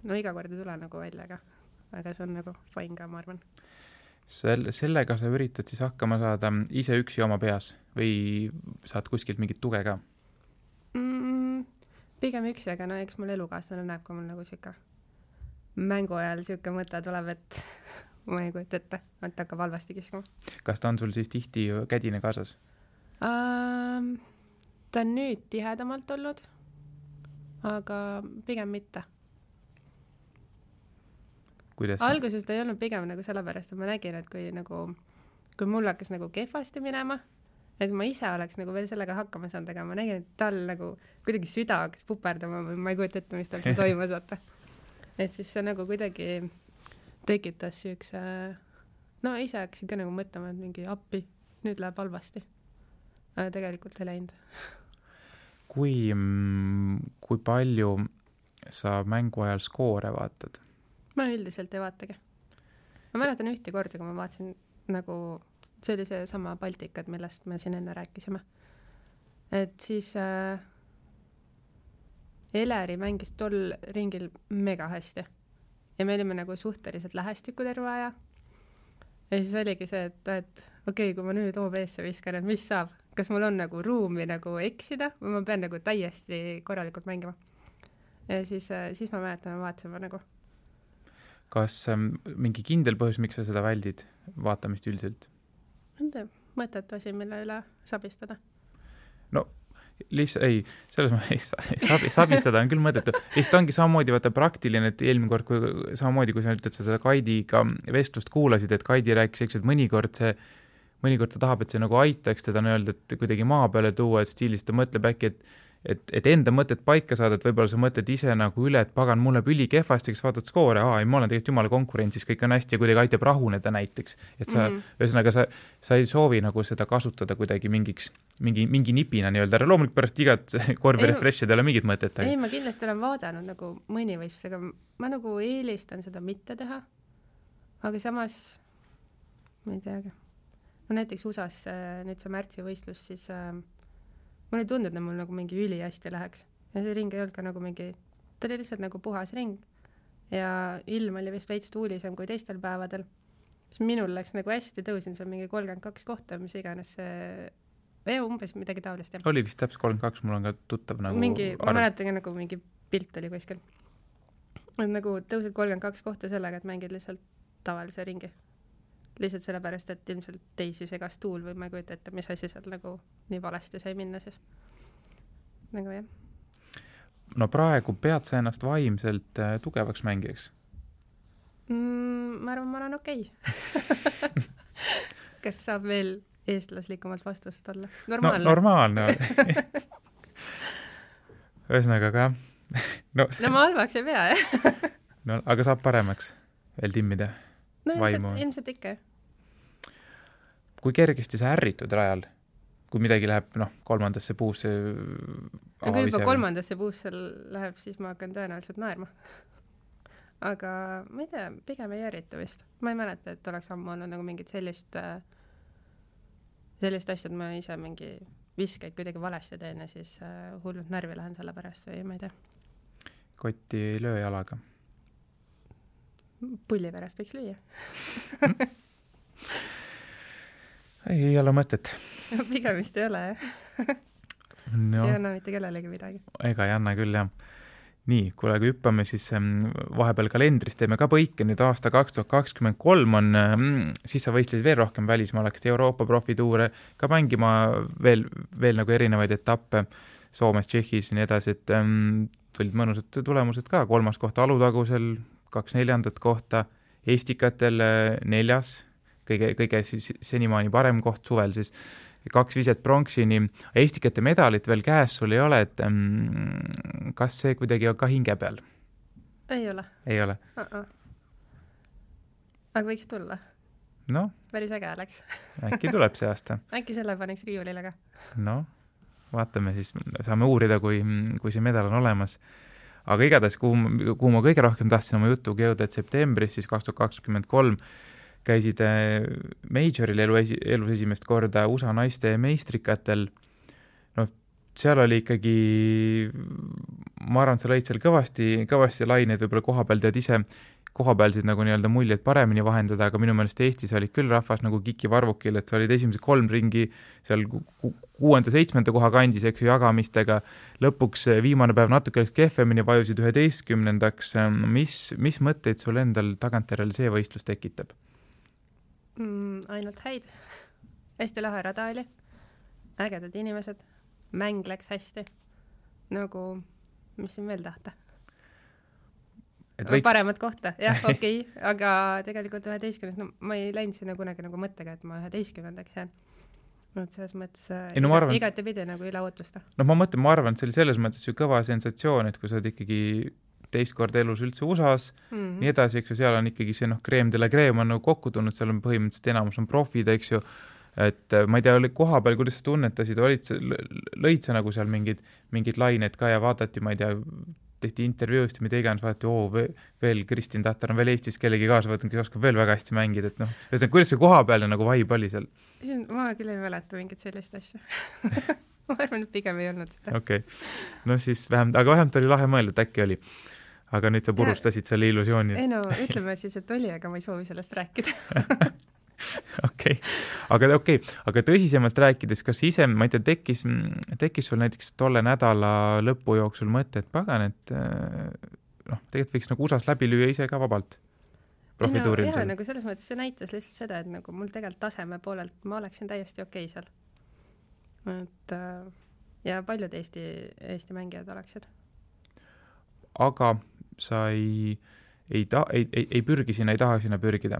Iga kord ei tule nagu välja, aga see on nagu fine ka, ma arvan. Sellega sa üritad siis hakkama saada ise üksi oma peas või saad kuskilt mingit tuge ka? Pigem üksi, aga eks mul elukaaslane näeb, kui mul nagu siuke mängu ajal siuke mõte tuleb, et ma ei kujuta ette, et hakkab halvasti kiskuma. Kas ta on sul siis tihti kädine kaasas? Ta on nüüd tihedamalt olnud, aga pigem mitte. Alguses ta ei olnud pigem nagu sellepärast, et ma nägin, et kui mul hakkas nagu kehvasti minema, et ma ise oleks nagu veel sellega hakkama saanud, aga ma nägin, et tal nagu kuidagi süda hakkas puperdama või ma ei kujuta ette, mis tal toimus, vaata. et siis see nagu kuidagi tekitas siukse, no ise hakkasin ka nagu mõtlema, et mingi appi, nüüd läheb halvasti. Aga tegelikult ei läinud. Kui palju sa mängu ajal skoore vaatad? Ma üldiselt ei vaatagi. Ma mäletan ühte korda, kui ma vaatasin nagu, see oli see sama Baltikad, millest me siin enne rääkisime. Et siis Eleri mängis tol ringil mega hästi. Ja me olime nagu suhteliselt lähestikku terve aja. Ja siis oligi see, et okei, kui ma nüüd OB-sse viskan, et mis saab? Kas mul on nagu ruumi nagu eksida või ma pean nagu täiesti korralikult mängima? Ja siis ma mäletan, ma vaatasime nagu. Kas mingi kindel põhjus, miks sa seda väldid vaatamist üldiselt? Mõtet asi, mille üle sabistada. No, ei, selles mõttes sabistada on küll mõttetu. Lihtsalt ongi samamoodi vaata praktiline, et eelmine kord, samamoodi kui sa ütled, sa seda Kaidiga vestlust kuulasid, et Kaidi rääkis, eks, et mõnikord ta tahab, et see nagu aitaks teda öelda, et kuidagi maa peale tuua, et stiilis ta mõtleb äkki, et enda mõtted paika saada, et võib-olla sa mõtled ise nagu üle, et pagan, mulle üli kehvasti, kes vaatad skoore, ma olen tegelikult jumala konkurentsis, kõik on hästi ja kuidagi aitab rahuneda näiteks. Et sa, ühesõnaga, sa ei soovi nagu seda kasutada kuidagi mingi nipina nii-öelda, loomulikult pärast igat korvi refresh'id ei ole mingit mõtet. Ei, ma kindlasti olen vaadanud nagu mõni võistlus, aga ma nagu eelistan seda mitte teha. Aga samas, ma ei teagi. No näiteks USAs nüüd see märtsi võistlus, siis mulle ei tundunud, et mul nagu mingi üli hästi läheks. Ja see ring ei olnud ka nagu mingi, ta oli lihtsalt nagu puhas ring. Ja ilm oli vist veits tuulisem kui teistel päevadel. Siis minul läks nagu hästi, tõusin seal mingi 32 kohta, mis iganes see umbes midagi taolist. Oli vist täpselt 32, mul on ka tuttav nagu mingi, ma mäletan nagu mingi pilt oli kuskil. Et nagu tõusid 32 kohta sellega, et mängid lihtsalt tavalise ringi. Lihtsalt sellepärast, et ilmselt teisi segas tuul või ma ei kujuta ette, mis asi seal nagu nii valesti sai minna siis. Nagu jah. No praegu pead sa ennast vaimselt tugevaks mängijaks? Ma arvan, ma olen okei. Kas saab veel eestlaslikumalt vastust olla? Normaalne. No, normaalne. Ühesõnaga ka. No ma halvaks ei pea, jah. No, aga saab paremaks veel timmida? No ilmselt ikka. Kui kergesti sa ärritud rajal, kui midagi läheb kolmandasse puusse kui juba kolmandasse puusse läheb, siis ma hakkan tõenäoliselt naerma. Aga ma ei tea, pigem ei ärrita vist. Ma ei mäleta, et oleks ammu olnud nagu mingit sellist asja, et ma ise mingi viskaid kuidagi valesti teen ja siis hullult närvi lähen selle pärast või ma ei tea. Kotti ei löö jalaga? Pulli pärast võiks lüüa. Ei ole mõtet. Pigem vist ei ole, jah. No, see ei anna mitte kellelegi midagi. Ega ei anna küll, jah. Nii, kui hüppame, siis vahepeal kalendris teeme ka põike. Nüüd aasta 2023 on, siis sa võistlesid veel rohkem välismaa, läksid Euroopa profituure ka mängima veel nagu erinevaid etappe Soomes, Tšehhis ja nii edasi, et tulid mõnusad tulemused ka. 3. kohta Alutagusel, 2 4. kohta, Estikatel 4. kõige senimaani parem koht suvel, siis 2 viset pronksini. Estikate medalit veel käes sul ei ole, et kas see kuidagi on ka hinge peal? Ei ole. Ei ole? Aga võiks tulla. No? Päris äge läks. Äkki tuleb see aasta. Äkki selle paneks riiulile ka. No, vaatame siis, saame uurida, kui see medal on olemas. Aga igatahes, kuhu ma kõige rohkem tahtsin oma jutuga jõuda, et septembris siis 2023 käisid Majoril elus esimest korda USA naiste meistrikatel. No, seal oli ikkagi, ma arvan, sa lõid seal kõvasti laineid, võib-olla kohapeal tead ise kohapealsid nagu nii-öelda muljeid paremini vahendada, aga minu meelest Eestis oli küll rahvas nagu Kiki Varvukil, et sa olid esimesed 3 ringi seal 6.-7. koha kandis, eks ju, jagamistega. Lõpuks viimane päev natuke kehvemini vajusid 11. Mis mõtteid sul endal tagantjärel see võistlus tekitab? Ainult häid. Hästi lahe rada oli. Ägedad inimesed. Mäng läks hästi. Nagu, mis siin veel tahta? Paremat kohta. Jah, okei. Aga tegelikult 11. No, ma ei läinud sinna kunagi nagu mõttega, et ma 11. jään. Selles mõttes igati pidi nagu üle ootusta. No ma arvan, et see oli selles mõttes ju kõva sensatsioon, et kui sa oled ikkagi teist korda elus üldse USA-s, nii edasi, eks ju, seal on ikkagi see crème de la crème on nagu kokku tulnud, seal on põhimõtteliselt enamus on profid, eks ju, et ma ei tea, oli koha peal, kuidas sa tunnetasid, lõid sa nagu seal mingid lained ka ja vaadati, ma ei tea, tehti intervjuust ja mida iganes, vaadati, veel Kristin Tatar on veel Eestis kellegi kaasa võtnud, kes oskab veel väga hästi mängida, et kuidas see koha peal nagu vibe oli seal? Ma küll ei mäleta mingit sellist asja. Ma arvan, et pigem ei olnud seda. Okei. Siis vähemalt oli lahe mõelda, et äkki oli. Aga nüüd sa purustasid selle illusiooni. Ei no, ütleme siis, et oli, aga ma ei soovi sellest rääkida. Aga tõsisemalt rääkides, kas ise, ma ei tea, tekkis sul näiteks tolle nädala lõpu jooksul mõte, et pagan, et tegelikult võiks nagu USAs läbi lüüa ise ka vabalt profituuril seal? Nagu selles mõttes see näitas lihtsalt seda, et nagu mul tegelikult taseme poolelt ma oleksin täiesti okei seal. Et, ja paljud Eesti mängijad oleksid. Aga sa ei pürgi sinna, ei taha sinna pürgida?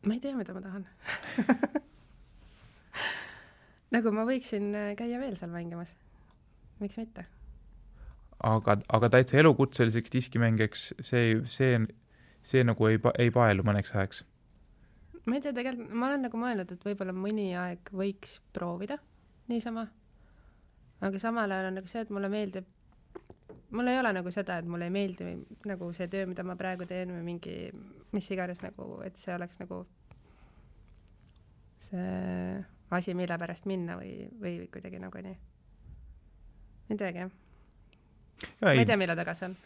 Ma ei tea, mida ma tahan. Nagu ma võiksin käia veel seal mängimas. Miks mitte? Aga täitsa elukutseliseks diskimängijaks see nagu ei paelu mõneks ajaks? Ma ei tea, tegelikult ma olen nagu mõelnud, et võib-olla mõni aeg võiks proovida niisama. Aga samal ajal on nagu see, et mulle ei ole nagu seda, et mulle ei meeldi nagu see töö, mida ma praegu teen või mingi, mis iganes nagu, et see oleks nagu see asi, mille pärast minna või kuidagi nagu nii. Ei teagi. Ma ei tea, mille taga see on.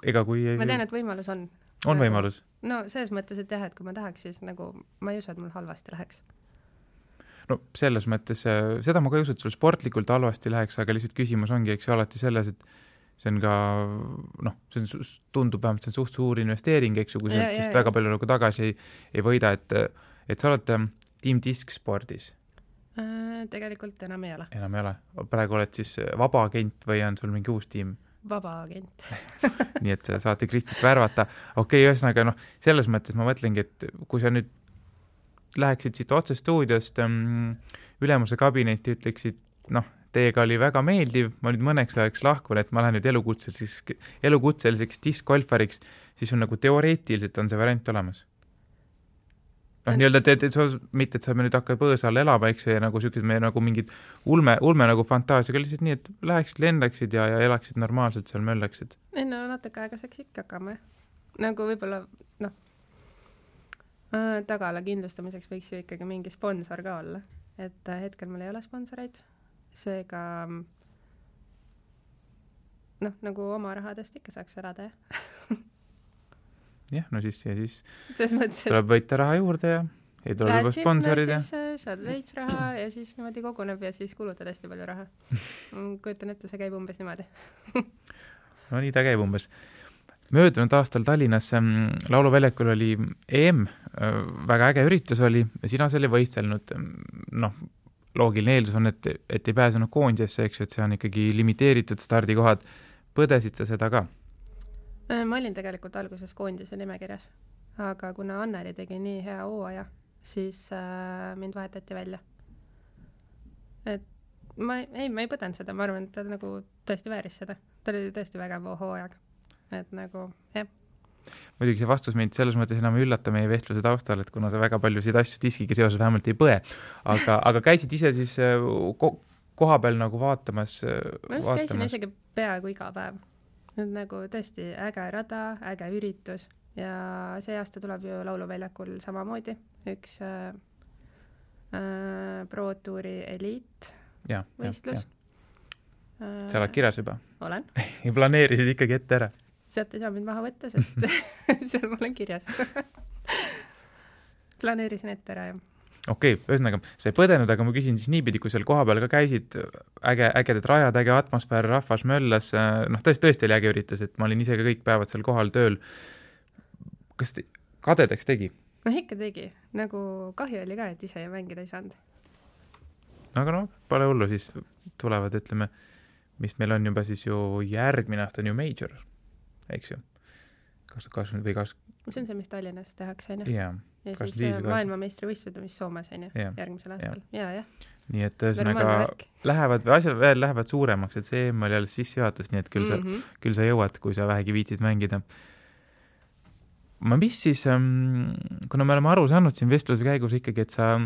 Ega kui ei... Ma tean, et võimalus on. On võimalus? No, selles mõttes, et jah, et kui ma tahaks, siis nagu ma ei usu, et mul halvasti läheks. No selles mõttes, seda ma ka ei usu, et sul sportlikult halvasti läheks, aga lihtsalt küsimus ongi, eks ju, alati selles, et see on ka, tundub vähemalt, see on suht suur investeering, eks ju, kui sa väga palju nagu tagasi ei võida, et sa oled Team Disk spordis? Tegelikult enam ei ole. Enam ei ole. Praegu oled siis vaba agent või on sul mingi uus tiim? Vaba agent. Nii et saate Kristit värvata. Ühesõnaga, selles mõttes ma mõtlengi, et kui sa nüüd läheksid siit otse stuudiost ülemuse kabinetti, ütleksid, teiega oli väga meeldiv, ma nüüd mõneks ajaks lahkun, et ma lähen nüüd elukutseliseks diskgolfariks, siis on nagu teoreetiliselt on see variant olemas. Nii-öelda, mitte, et sa nüüd hakkad põõsal elama, eks, ja nagu sükid me nagu mingid ulme nagu fantaasiaga lihtsalt nii, et läheksid, lendaksid ja elaksid normaalselt seal möllaksid. Natuke aega saaks ikka hakkama. Nagu võib-olla, tagala kindlustamiseks võiks ju ikkagi mingi sponsor ka olla. Et hetkel mul ei ole sponsoreid. Seega, nagu oma rahadest ikka saaks elada, jah, siis mõttes, tuleb võita raha juurde ja ei tule juba sponsorid. Siis saad veits raha ja siis niimoodi koguneb ja siis kulutad hästi palju raha. Kujutan ette, see käib umbes niimoodi. No nii ta käib umbes. Möödunud aastal Tallinnas lauluväljakul oli EM, väga äge üritus oli ja sina selle võistelnud. Loogiline eeldus on, et ei pääsenud koondisesse, eks ju, et see on ikkagi limiteeritud stardikohad. Põdesid sa seda ka? Ma olin tegelikult alguses koondise nimekirjas, aga kuna Anneli tegi nii hea hooaja, siis mind vahetati välja. Et ma ei põdenud seda, ma arvan, et ta nagu tõesti vääris seda. Ta oli tõesti väga hooaeg. Et nagu, jah. Muidugi see vastus mind selles mõttes enam ei üllata meie vestluse taustal, et kuna sa väga paljusid asju diskiga seoses vähemalt ei põe, aga käisid ise siis koha peal nagu vaatamas? Ma just käisin isegi peaaegu iga päev. Nüüd nagu tõesti äge rada, äge üritus ja see aasta tuleb ju lauluväljakul samamoodi üks Pro Touri Elite võistlus. Sa oled kirjas juba? Olen. Ja planeerisid ikkagi ette ära? Sealt ei saa mind maha võtta, sest seal ma olen kirjas. Planeerisin ette ära, jah. Okei, ühesõnaga, sa ei põdenud, aga ma küsin siis niipidi, kui seal koha peal ka käisid, ägedad rajad, äge atmosfäär, rahvas möllas, tõesti oli äge üritus, et ma olin ise ka kõik päevad seal kohal tööl. Kas kadedaks tegi? Ikka tegi. Nagu kahju oli ka, et ise mängida ei saanud. Aga pole hullu, siis tulevad, ütleme, mis meil on juba siis ju järgmine aasta on ju major, eks ju. 2020 või 20... See on see, mis Tallinnas tehakse, on ju? Jaa. Ja siis maailmameistrivõistlused, mis Soomes, on ju, järgmisel aastal. Jaa. Nii et asjad veel lähevad suuremaks, et see oli jälle sissejuhatus, nii et küll sa jõuad, kui sa vähegi viitsid mängida. Mis siis, kuna me oleme aru saanud siin vestluse käigus ikkagi, et sa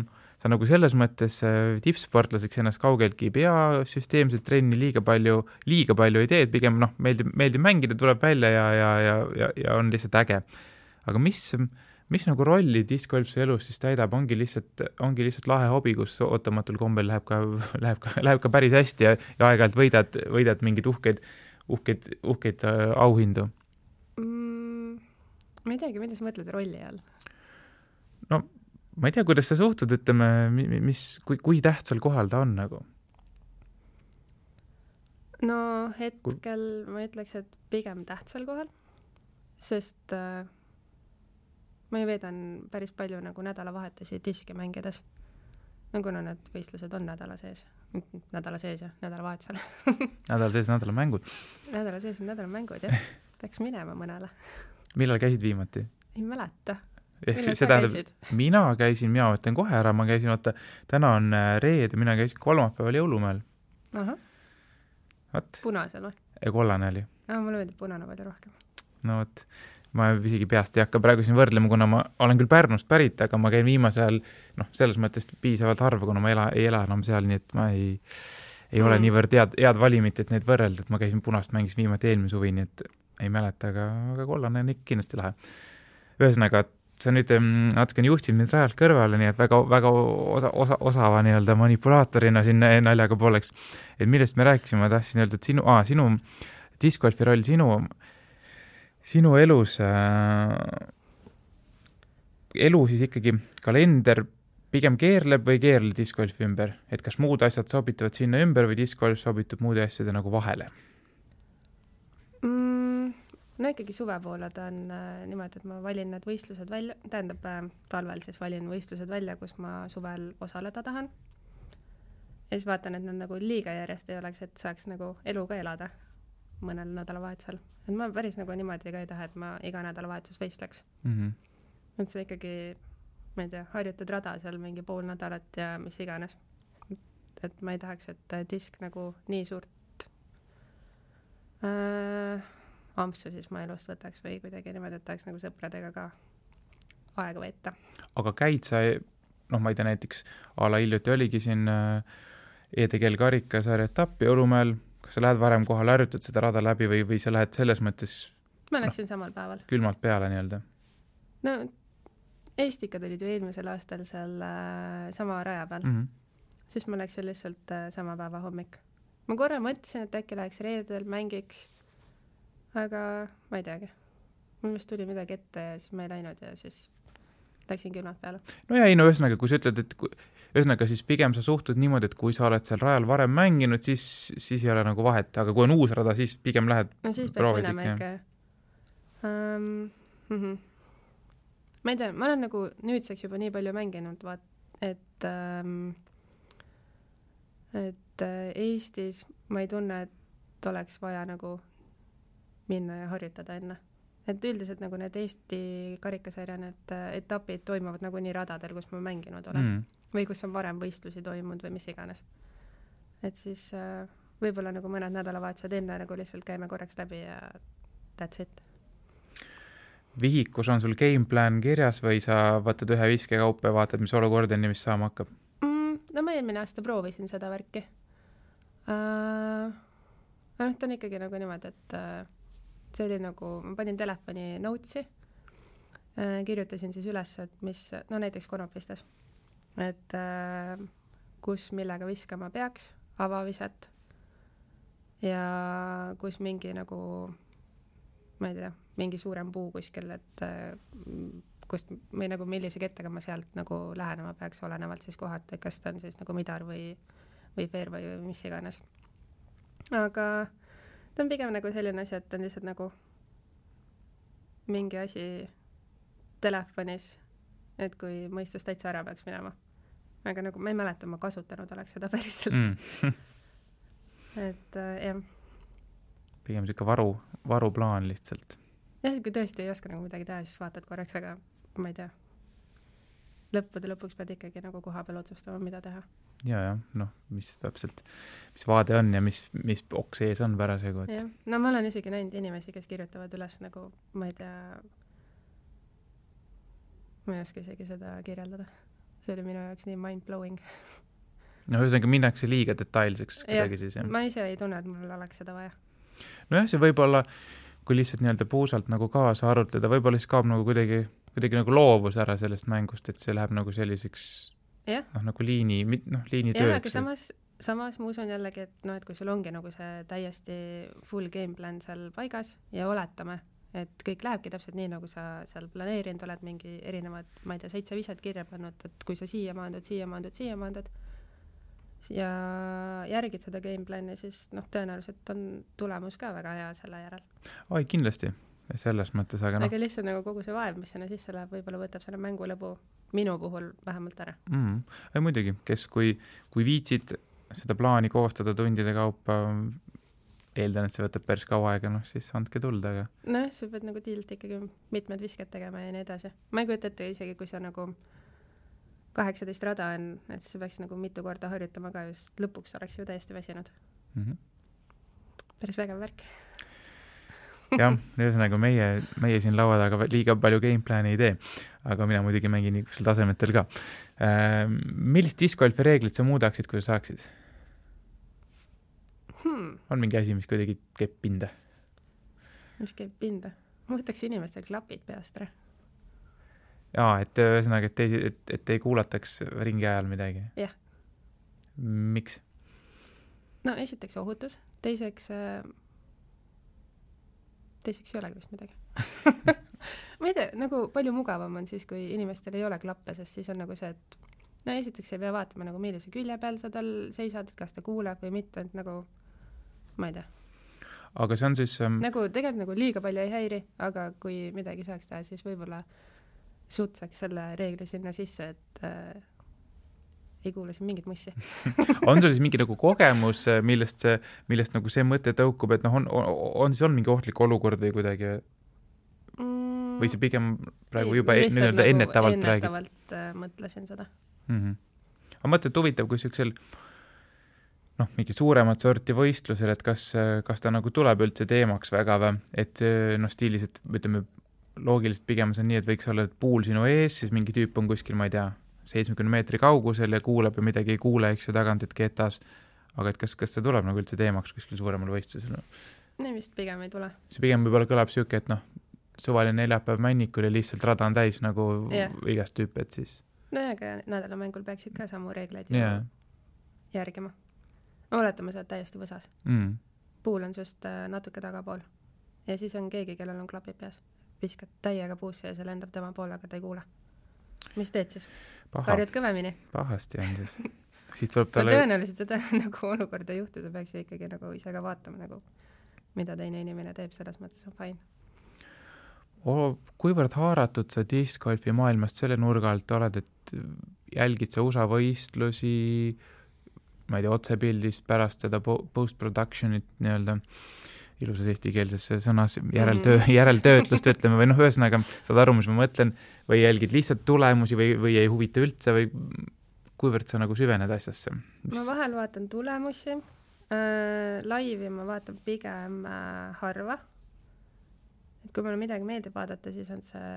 nagu selles mõttes tippsportlaseks ennast kaugeltki ei pea, süsteemselt trenni liiga palju ei tee, et pigem meeldib mängida, tuleb välja ja on lihtsalt äge. Aga mis nagu rolli diskgolf su elus siis täidab, ongi lihtsalt lahe hobi, kus ootamatult kombel läheb ka päris hästi ja aeg-ajalt võidad mingeid uhkeid auhindu? Ma ei teagi, mida sa mõtled rolli all? No, ma ei tea, kuidas sa suhtud, ütleme, kui tähtsal kohal ta on nagu? No, hetkel ma ütleks, et pigem tähtsal kohal, sest ma ju veedan päris palju nagu nädalavahetusi diski mängides. Kuna need võistlused on nädala sees ja nädalavahetusel. Nädala sees nädalamängud. Nädala sees on nädalamängud, jah. Peaks minema mõnele. Millal käisid viimati? Ei mäleta. Mina mõtlen kohe ära, ma käisin, täna on reede, mina käisin kolmapäeval Jõulumäel. Aha. Punasel või? Kollane oli. Mulle meeldib punane palju rohkem. No võt, ma isegi peast ei hakka praegu siin võrdlema, kuna ma olen küll Pärnust pärit, aga ma käin viimasel selles mõttes piisavalt harva, kuna ma ei ela enam seal, nii et ma ei ole niivõrd head valimit, et neid võrrelda, et ma käisin punast mängis viimati eelmine suvi, nii et ei mäleta, aga kollane on ikka kindlasti lahe. Ühesõnaga, sa nüüd natukene juhtid mind rajalt kõrvale, nii et väga osava nii-öelda manipulaatorina siin naljaga pooleks. Et millest me rääkisime, ma tahtsin öelda, et sinu diskgolfi roll, sinu elus, elu siis ikkagi kalender pigem keerleb või keerle diskgolfi ümber? Et kas muud asjad sobituvad sinna ümber või diskgolf sobitub muude asjade nagu vahele? No ikkagi suve poole ta on niimoodi, et ma valin need võistlused välja, tähendab talvel siis valin võistlused välja, kus ma suvel osaleda tahan. Ja siis vaatan, et nad nagu liiga järjest ei oleks, et saaks nagu elu ka elada mõnel nädalavahetusel. Et ma päris nagu niimoodi ka ei taha, et ma iga nädalavahetus võistleks. Et see ikkagi, ma ei tea, harjutad rada seal mingi pool nädalat ja mis iganes. Et ma ei tahaks, et disk nagu nii suurt ampsu siis ma elust võtaks või kuidagi niimoodi, et tahaks nagu sõpradega ka aega veeta. Aga käid sa, ma ei tea, näiteks ala hiljuti oligi siin ETGL karikasarja etappi Jõulumäel, kas sa lähed varem kohale, harjutad seda rada läbi või sa lähed selles mõttes ma läksin samal päeval. Külmalt peale nii-öelda? No, Eestikad olid ju eelmisel aastal seal sama raja peal. Siis ma läksin lihtsalt sama päeva hommik. Ma korra mõtlesin, et äkki läheks reedel, mängiks, aga ma ei teagi. Mul vist tuli midagi ette ja siis ma ei läinud ja siis läksin külmalt peale. No ja ühesõnaga, kui sa ütled, et ühesõnaga siis pigem sa suhtud niimoodi, et kui sa oled seal rajal varem mänginud, siis ei ole nagu vahet, aga kui on uus rada, siis pigem lähed no siis peaks minema ikka. Ma ei tea, ma olen nagu nüüdseks juba nii palju mänginud, et Eestis ma ei tunne, et oleks vaja nagu minna ja harjutada enne. Et üldiselt nagu need Eesti karikasarja need etapid toimuvad nagu nii radadel, kus ma mänginud olen. Või kus on varem võistlusi toimunud või mis iganes. Et siis võib-olla nagu mõned nädalavahetused enne nagu lihtsalt käime korraks läbi ja that's it. Vihikus on sul gameplan kirjas või sa võtad ühe viske kaupa ja vaatad, mis olukord on ja mis saama hakkab? No ma eelmine aasta proovisin seda värki. Ta on ikkagi nagu niimoodi, et see oli nagu, ma panin telefoni notesi, kirjutasin siis üles, et mis, no näiteks konopistes, et kus millega viskama peaks, avaviset ja kus mingi nagu, ma ei tea, mingi suurem puu kuskil, et kust või nagu millise kettega ma sealt nagu lähenema peaks olenevalt siis kohalt, et kas ta on siis nagu midar või fair või mis iganes. Aga ta on pigem nagu selline asi, et on lihtsalt nagu mingi asi telefonis, et kui mõistus täitsa ära peaks minema. Aga nagu ma ei mäleta, ma kasutanud oleks seda päriselt. Et jah. Pigem siuke varuplaan lihtsalt. jah, kui tõesti ei oska nagu midagi teha, siis vaatad korraks, aga ma ei tea. Lõppude lõpuks pead ikkagi nagu koha peal otsustama, mida teha. Ja, noh, mis täpselt, mis vaade on ja mis oks ees on parasjagu. Jah, no ma olen isegi näinud inimesi, kes kirjutavad üles nagu, ma ei tea, ma ei oska isegi seda kirjeldada. See oli minu jaoks nii mind-blowing. No ühesõnaga minnakse liiga detailseks kuidagi siis, jah. Ma ise ei tunne, et mul oleks seda vaja. Nojah, see võib-olla, kui lihtsalt nii-öelda puusalt nagu kaasa arutleda, võib-olla siis kaob nagu kuidagi nagu loovus ära sellest mängust, et see läheb nagu selliseks nagu liini tööks. Jah, aga samas ma usun jällegi, et et kui sul ongi nagu see täiesti full game plan seal paigas ja oletame, et kõik lähebki täpselt nii, nagu sa seal planeerinud oled mingi erinevad, ma ei tea, 7 viset kirja pannud, et kui sa siia maandud ja järgid seda game plani, siis tõenäoliselt on tulemus ka väga hea selle järel. Oi, kindlasti. Selles mõttes, aga Aga lihtsalt nagu kogu see vaev, mis sinna sisse läheb, võib-olla võtab selle mängu lõbu minu puhul vähemalt ära. Ei, muidugi, kes kui viitsid seda plaani koostada tundide kaupa, eeldan, et see võtab päris kaua aega, siis andke tulda, aga... sa pead nagu tiilt ikkagi mitmed visked tegema ja nii edasi. Ma ei kujuta ette isegi, kui sa nagu 18 rada on, et sa peaks nagu mitu korda harjutama ka, just lõpuks oleks ju täiesti väsinud. Päris vägev värk. Jah, ühesõnaga meie siin laua taga liiga palju gameplani ei tee, aga mina muidugi mängin niisugusel tasemetel ka. Millist discgolfi reeglit sa muudaksid, kui sa saaksid? On mingi asi, mis kuidagi käib pinda? Mis käib pinda? Ma võtaks inimestel klapid peast ära. Jaa, et ühesõnaga, et ei kuulataks ringi ajal midagi? Jah. Miks? No esiteks ohutus, teiseks ei olegi vist midagi. Ma ei tea, nagu palju mugavam on siis, kui inimestel ei ole klappe, sest siis on nagu see, et esiteks ei pea vaatama nagu millise külje peal sa tal seisad, et kas ta kuuleb või mitte, et nagu ma ei tea. Aga see on siis... Nagu tegelikult nagu liiga palju ei häiri, aga kui midagi saaks teha, siis võib-olla suutsaks selle reegli sinna sisse, et ei kuule siin mingit mussi. On sul siis mingi nagu kogemus, millest nagu see mõte tõukub, et on mingi ohtlik olukord või kuidagi või see pigem praegu juba nagu ennetavalt räägib? Ennetavalt mõtlesin seda. Aga mõtled huvitav, kui siuksel mingi suuremat sorti võistlusel, et kas ta nagu tuleb üldse teemaks väga või, et stiilis, et ütleme loogiliselt pigem see on nii, et võiks olla puul sinu ees, siis mingi tüüp on kuskil, ma ei tea, 70 meetri kaugusel ja kuuleb ja midagi ei kuule, eks ju tagant, et ketas. Aga et kas see tuleb nagu üldse teemaks kuskil suuremal võistlusel? Nee, vist pigem ei tule. See pigem võib-olla kõlab siuke, et suvaline neljapäev männikul ja lihtsalt rada on täis nagu igast tüüpi, et siis... aga nädalamängul peaksid ka samu reegleid järgima. Oletame, sa oled täiesti võsas. Puul on just natuke tagapool. Ja siis on keegi, kellel on klapid peas. Viskad täiega puusse ja see lendab tema poole, aga ta ei kuule. Mis teed siis? Karjud kõvemini? Pahasti on siis. Siis tuleb talle... Tõenäoliselt seda nagu olukorda juhtuda peaks ju ikkagi nagu ise ka vaatama, nagu, mida teine inimene teeb, selles mõttes on fine. Kuivõrd haaratud sa discgolfi maailmast selle nurga alt oled, et jälgid sa USA võistlusi, ma ei tea, otsepildist pärast seda post-productionit nii-öelda ilusas eestikeelses sõnas järeltöötlust ütleme või ühesõnaga saad aru, mis ma mõtlen, või jälgid lihtsalt tulemusi või ei huvita üldse või kuivõrd sa nagu süvened asjasse? Ma vahel vaatan tulemusi, laivi ma vaatan pigem harva, et kui mulle midagi meeldib vaadata, siis on see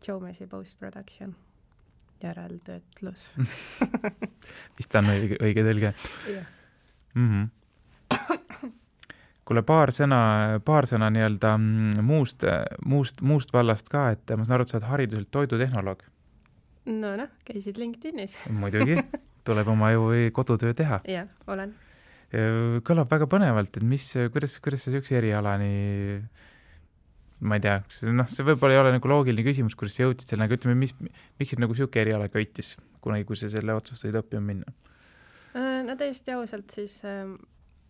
Joe Messi post-production järeltöötlus. Vist on õige tõlge? Jah. Kuule, paar sõna nii-öelda muust vallast ka, et ma saan aru, et sa oled hariduselt toidutehnoloog. Käisid LinkedInis. Muidugi, tuleb oma ju kodutöö teha. Jah, olen. Kõlab väga põnevalt, et kuidas sa siukse erialani, ma ei tea, see võib-olla ei ole nagu loogiline küsimus, kuidas sa jõudsid selle, aga ütleme, miks nagu siuke eriala köitis, kunagi, kui sa selle otsustasid õppima minna? Täiesti ausalt siis...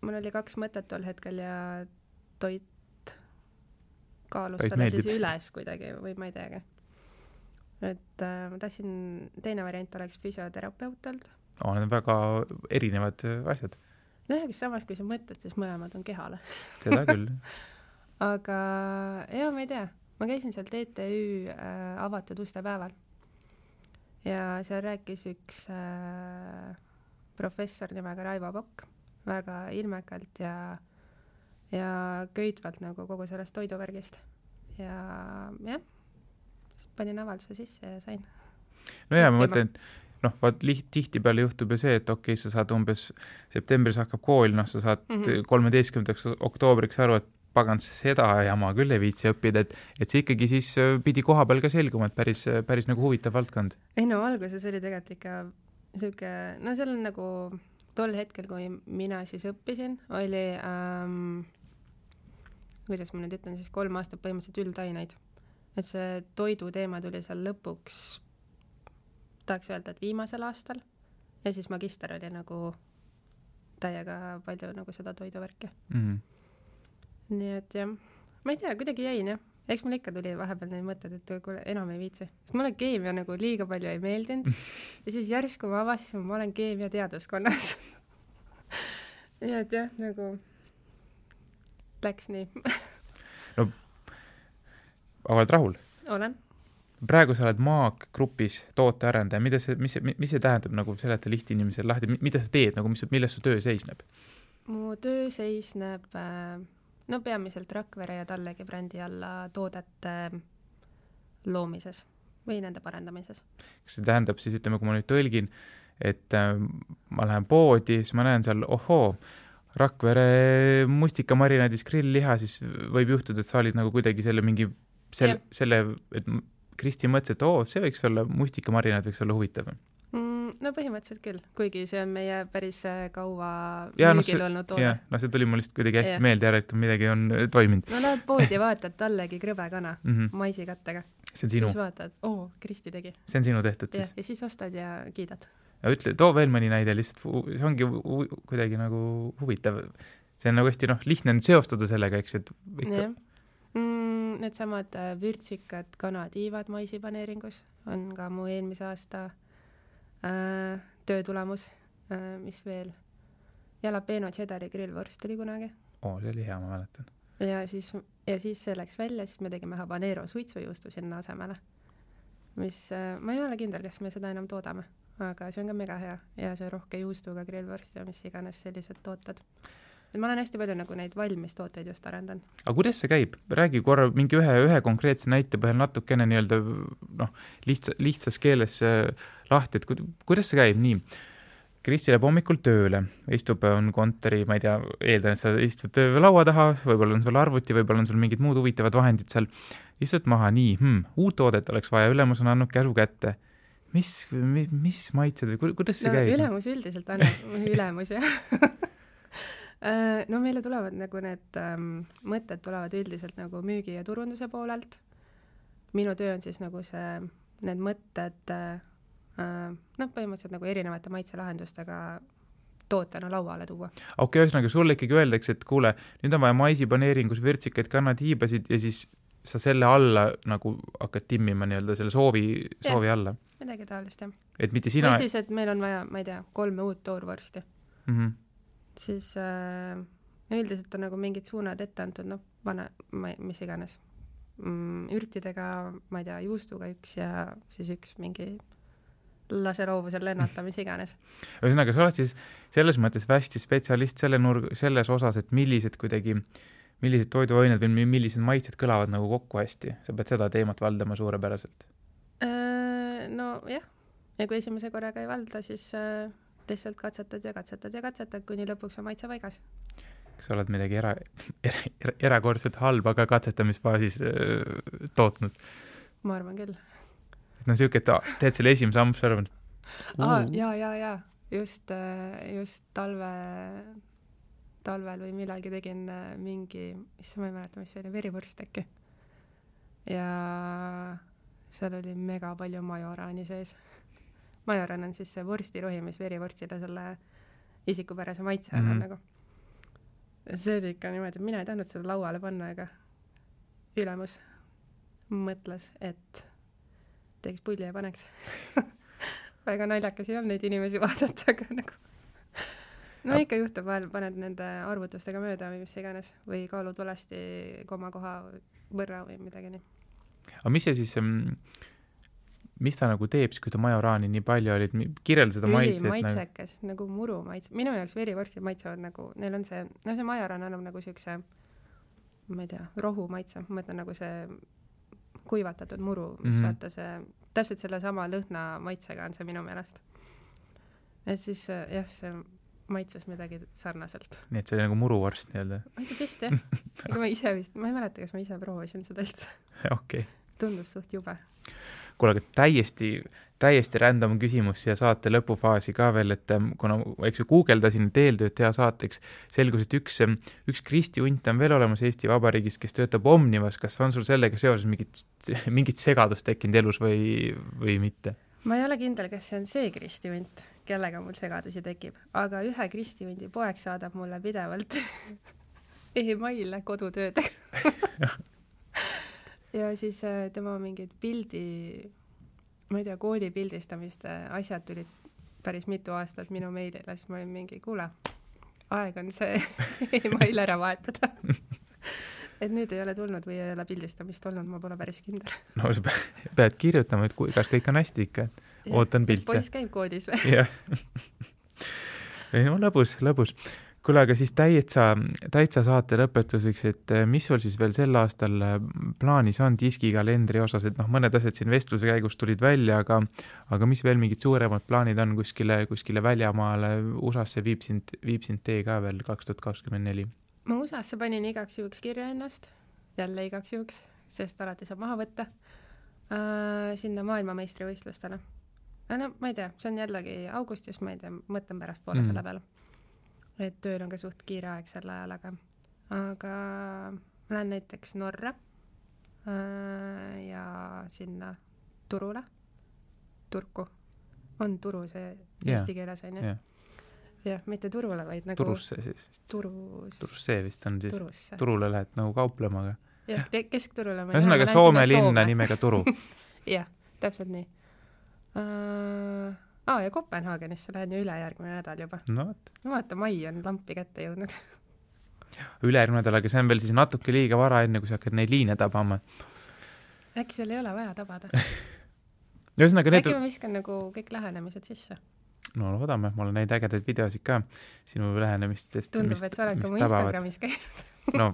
Mul oli 2 mõtet tol hetkel ja toit kaalus selle siis üles kuidagi või ma ei teagi. Et ma tahtsin, teine variant oleks füsioterapeutalt. Need on väga erinevad asjad. Samas kui sa mõtled, siis mõlemad on kehale. Seda küll. Aga ma ei tea. ma käisin seal TTÜ avatud uste päeval ja seal rääkis üks professor nimega Raivo Pokk väga ilmekalt ja köitvalt nagu kogu sellest toiduvärgist. Ja jah, panin avalduse sisse ja sain. No ja ma mõtlen, tihtipeale juhtub ju see, et okei, sa saad umbes septembris hakkab kool, sa saad 13. oktoobriks aru, et pagan seda jama küll ei viitsi õppida, et see ikkagi siis pidi koha peal ka selguma, et päris nagu huvitav valdkond. Ei no alguses oli tegelikult ikka selline, no seal on nagu tol hetkel, kui mina siis õppisin, oli, kuidas ma nüüd ütlen, siis 3 aastat põhimõtteliselt üldaineid. Et see toidu teema tuli seal lõpuks, tahaks öelda, et viimasel aastal ja siis magister oli nagu täiega palju nagu seda toiduvärki. Nii et jah, ma ei tea, kuidagi jäin jah. Eks mul ikka tuli vahepeal neid mõtted, et kuule, enam ei viitsi. Sest mulle keemia nagu liiga palju ei meeldinud. Ja siis järsku ma avastasin, ma olen keemia teaduskonnas. Nii et jah, nagu läks nii. No, aga oled rahul? Olen. Praegu sa oled Maag grupis tootearendaja. Mis see tähendab nagu seleta lihtinimesel lahti? Mida sa teed, nagu, milles su töö seisneb? Mu töö seisneb peamiselt Rakvere ja Tallegi brändi alla toodete loomises või nende parendamises. Kas see tähendab siis, ütleme, kui ma nüüd tõlgin, et ma lähen poodi, siis ma näen seal, Rakvere mustikamarinaadis grillliha, siis võib juhtuda, et sa olid nagu kuidagi selle mingi, et Kristi mõtles, et see võiks olla, mustikamarinaad võiks olla huvitav. No põhimõtteliselt küll, kuigi see on meie päris kaua müügil olnud toode. See tuli mul lihtsalt kuidagi hästi meelde ära, et midagi on toiminud. No lähed poodi ja vaatad Tallegi krõbekana maisikattega. See on sinu. Siis vaatad, Kristi tegi. See on sinu tehtud siis. Ja siis ostad ja kiidad. Ja ütle, too veel mõni näide, lihtsalt see ongi kuidagi nagu huvitav. See on nagu hästi lihtne seostada sellega, eks, et ikka. Need samad vürtsikad kanatiivad maisipaneeringus on ka mu eelmise aasta töö tulemus, mis veel jalapeno cheddari grillvorst oli kunagi. See oli hea, ma mäletan. Ja siis see läks välja, siis me tegime habanero suitsujuustu sinna asemele, mis ma ei ole kindel, kas me seda enam toodame, aga see on ka mega hea ja see rohke juustuga grillvorst ja mis iganes sellised tooted. Ma olen hästi palju nagu neid valmis tooteid just arendan. Aga kuidas see käib? Räägi korra mingi ühe konkreetse näite põhjal natukene nii-öelda lihtsas keeles lahti, et kuidas see käib nii? Kristi läheb hommikul tööle, istub on kontori, ma ei tea, eeldan, et sa istud laua taha, võib-olla on sul arvuti, võib-olla on sul mingid muud huvitavad vahendid seal. Istud maha, nii, uut toodet oleks vaja, ülemus on andnud käsu kätte. Mis maitsed või kuidas see käib? Ülemus üldiselt annab ülemus, jah. Meile tulevad nagu need mõtted tulevad üldiselt nagu müügi ja turunduse poolelt. Minu töö on siis nagu need mõtted põhimõtteliselt nagu erinevate maitselahendustega tootena lauale tuua. Ühesõnaga, sulle ikkagi öeldakse, et kuule, nüüd on vaja maisipaneeringus vürtsikaid kannatiibasid ja siis sa selle alla nagu hakkad timmima nii-öelda selle soovi alla. Midagi taolist, jah. Et mitte sina... Või siis, et meil on vaja, ma ei tea, 3 uut toorvorsti. Siis üldiselt on nagu mingid suunad ette antud, mis iganes. Ürtidega, ma ei tea, juustuga üks ja siis üks mingi laseroovusel lennata, mis iganes. Ühesõnaga, sa oled siis selles mõttes hästi spetsialist selles osas, et millised toiduained või millised maitsed kõlavad nagu kokku hästi. Sa pead seda teemat valdama suurepäraselt. Jah. Ja kui esimese korraga ei valda, siis lihtsalt katsetad, kuni lõpuks on maitse paigas. Kas sa oled midagi erakordselt halba ka katsetamisfaasis tootnud? Ma arvan küll. Siuke, et teed selle esimese ammus arvan. Jaa. Just talvel või millalgi tegin mingi, ma ei mäleta, mis see oli, verivorst äkki. Ja seal oli mega palju majoraani sees. Majoran on siis see vorstirohi, mis verivorstile selle isikupärase maitse on nagu. See oli ikka niimoodi, et mina ei tahtnud seda lauale panna, aga ülemus mõtles, et teeks pulli ja paneks. Väga naljakas ei olnud neid inimesi vaadata, aga nagu... ikka juhtub vahel, paned nende arvutustega mööda või mis iganes, või kaalutulasti komakoha võrra või midagi nii. aga mis see siis, mis ta nagu teeb, kui ta majoraani nii palju olid, kirjelda seda maitset? Ülimaitsekas, nagu muru maitse. Minu jaoks verivorstid maitsevad nagu, neil on see, see majoraan annab nagu siukse, ma ei tea, rohu maitse, ma mõtlen nagu see kuivatatud muru, mis vaata see, täpselt selle sama lõhna maitsega on see minu meelest. Et siis jah, see maitses midagi sarnaselt. Nii et see oli nagu muruvorst nii-öelda? Ma ei tea vist, jah. Aga ma ise vist, ma ei mäleta, kas ma ise proovisin seda üldse. Okay. Tundus suht jube. Kuule, aga täiesti random küsimus siia saate lõpufaasi ka veel, et kuna eks guugeldasin eeltööd teha saateks, selgus, et üks Kristi Unt on veel olemas Eesti Vabariigis, kes töötab Omnivas. Kas on sul sellega seoses mingit segadust tekkinud elus või mitte? Ma ei ole kindel, kas see on see Kristi Unt, kellega mul segadusi tekib, aga ühe Kristi Undi poeg saadab mulle pidevalt e-maile kodutöödega. Ja siis tema mingid pildi, ma ei tea, kooli pildistamist asjad tulid päris mitu aastat minu meilile, siis ma olin mingi, kuule, aeg on see e-mail ära vahetada. Et nüüd ei ole tulnud või ei ole pildistamist olnud, ma pole päris kindel. No sa pead kirjutama, et kas kõik on hästi ikka, et ootan pilte. Poiss käib koodis või? Jah. No lõbus. Kuule, aga siis täitsa saate lõpetuseks, et mis sul siis veel sel aastal plaanis on diskikalendri osas, et mõned asjad siin vestluse käigus tulid välja, aga mis veel mingid suuremad plaanid on kuskile väljamaale, USA-sse viib sind tee ka veel 2024? Ma USA-sse panin igaks juhuks kirja ennast, jälle igaks juhuks, sest alati saab maha võtta sinna maailmameistrivõistlustele. No, ma ei tea, see on jällegi augustis, ma ei tea, mõtlen pärast poole selle peale. Et tööl on ka suht kiire aeg sel ajal, aga ma lähen näiteks Norra ja sinna Turku. On Turu see eesti keeles, on ju? Jah, mitte Turule, vaid nagu... Turusse siis vist. Turusse vist on siis. Turusse. Turule lähed nagu kauplema. Jah, keskturule. Ühesõnaga Soome linna nimega Turu. Jah, täpselt nii. Ja Kopenhaagenisse lähen ju ülejärgmine nädal juba. No, vaata, mai on lampi kätte jõudnud. Ülejärgmine nädal, aga see on veel siis natuke liiga vara enne, kui sa hakkad neid liine tabama. Äkki seal ei ole vaja tabada? Äkki ma viskan nagu kõik lähenemised sisse? No loodame, ma olen neid ägedaid videosid ka sinu lähenemistest. Tundub, et sa oled ka mu Instagramis käinud. No,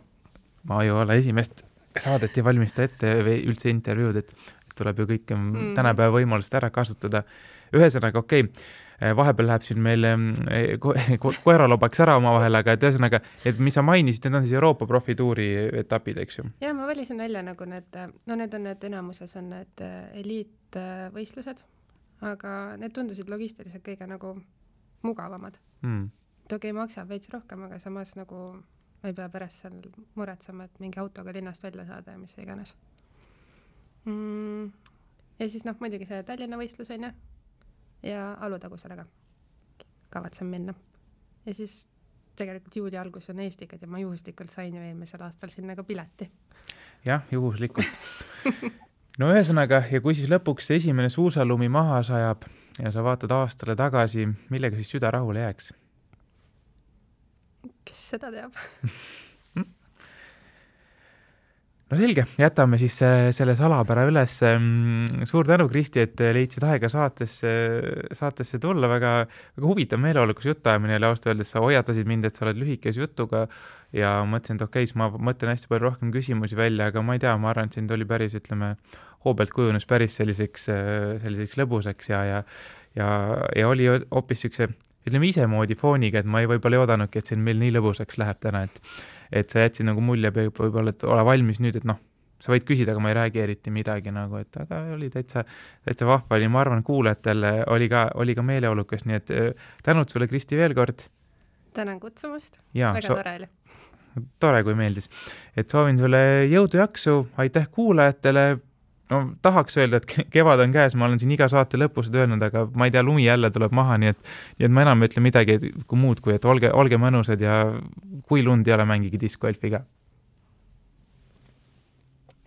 ma ju ole esimest saadet ei valmista ette või üldse intervjuud, et tuleb ju kõik tänapäeva võimalust ära kasutada. Ühesõnaga, vahepeal läheb siin meil koeralobaks ära oma vahel, aga et ühesõnaga, et mis sa mainisid, need on siis Euroopa profituuri etapid, eks ju? Ja ma valisin välja nagu need on need enamuses on need eliitvõistlused, aga need tundusid logistiliselt kõige nagu mugavamad. Et maksab veits rohkem, aga samas nagu ma ei pea pärast seal muretsema, et mingi autoga linnast välja saada ja mis iganes. Ja siis muidugi see Tallinna võistlus on ja Alutagusele ka kavatsen minna. Ja siis tegelikult juuli algus on Eestikad ja ma juhuslikult sain ju eelmisel aastal sinna ka pileti. Jah, juhuslikult. No ühesõnaga, ja kui siis lõpuks esimene suusalumi maha sajab ja sa vaatad aastale tagasi, millega siis süda rahule jääks? Kes seda teab? No selge, jätame siis selle salapära üles. Suur tänu, Kristi, et leidsid aega saatesse tulla. Väga huvitav meeleolukas jutuajamine ja ausalt öeldes sa hoiatasid mind, et sa oled lühikes jutuga ja mõtlesin, et okei, ma mõtlen hästi palju rohkem küsimusi välja, aga ma ei tea, ma arvan, et sind oli päris, hoobelt kujunes päris selliseks lõbuseks ja oli hoopis siukse, isemoodi fooniga, et ma ei võib-olla ei oodanudki, et siin meil nii lõbusaks läheb täna, et sa jätsid nagu mulje võib-olla, et ole valmis nüüd, et sa võid küsida, aga ma ei räägi eriti midagi nagu, et aga oli täitsa vahva, ma arvan, kuulajatel oli ka meeleolukas, nii et tänud sulle, Kristi, veel kord. Tänan kutsumast, väga tore oli. Tore, kui meeldis. Et soovin sulle jõudu jaksu, aitäh kuulajatele. No, tahaks öelda, et kevad on käes, ma olen siin iga saate lõpus öelnud, aga ma ei tea, lumi jälle tuleb maha, nii et ma enam ütlen midagi kui muud, kui et olge mõnusad ja kui lund ei ole, mängigi discgolfiga.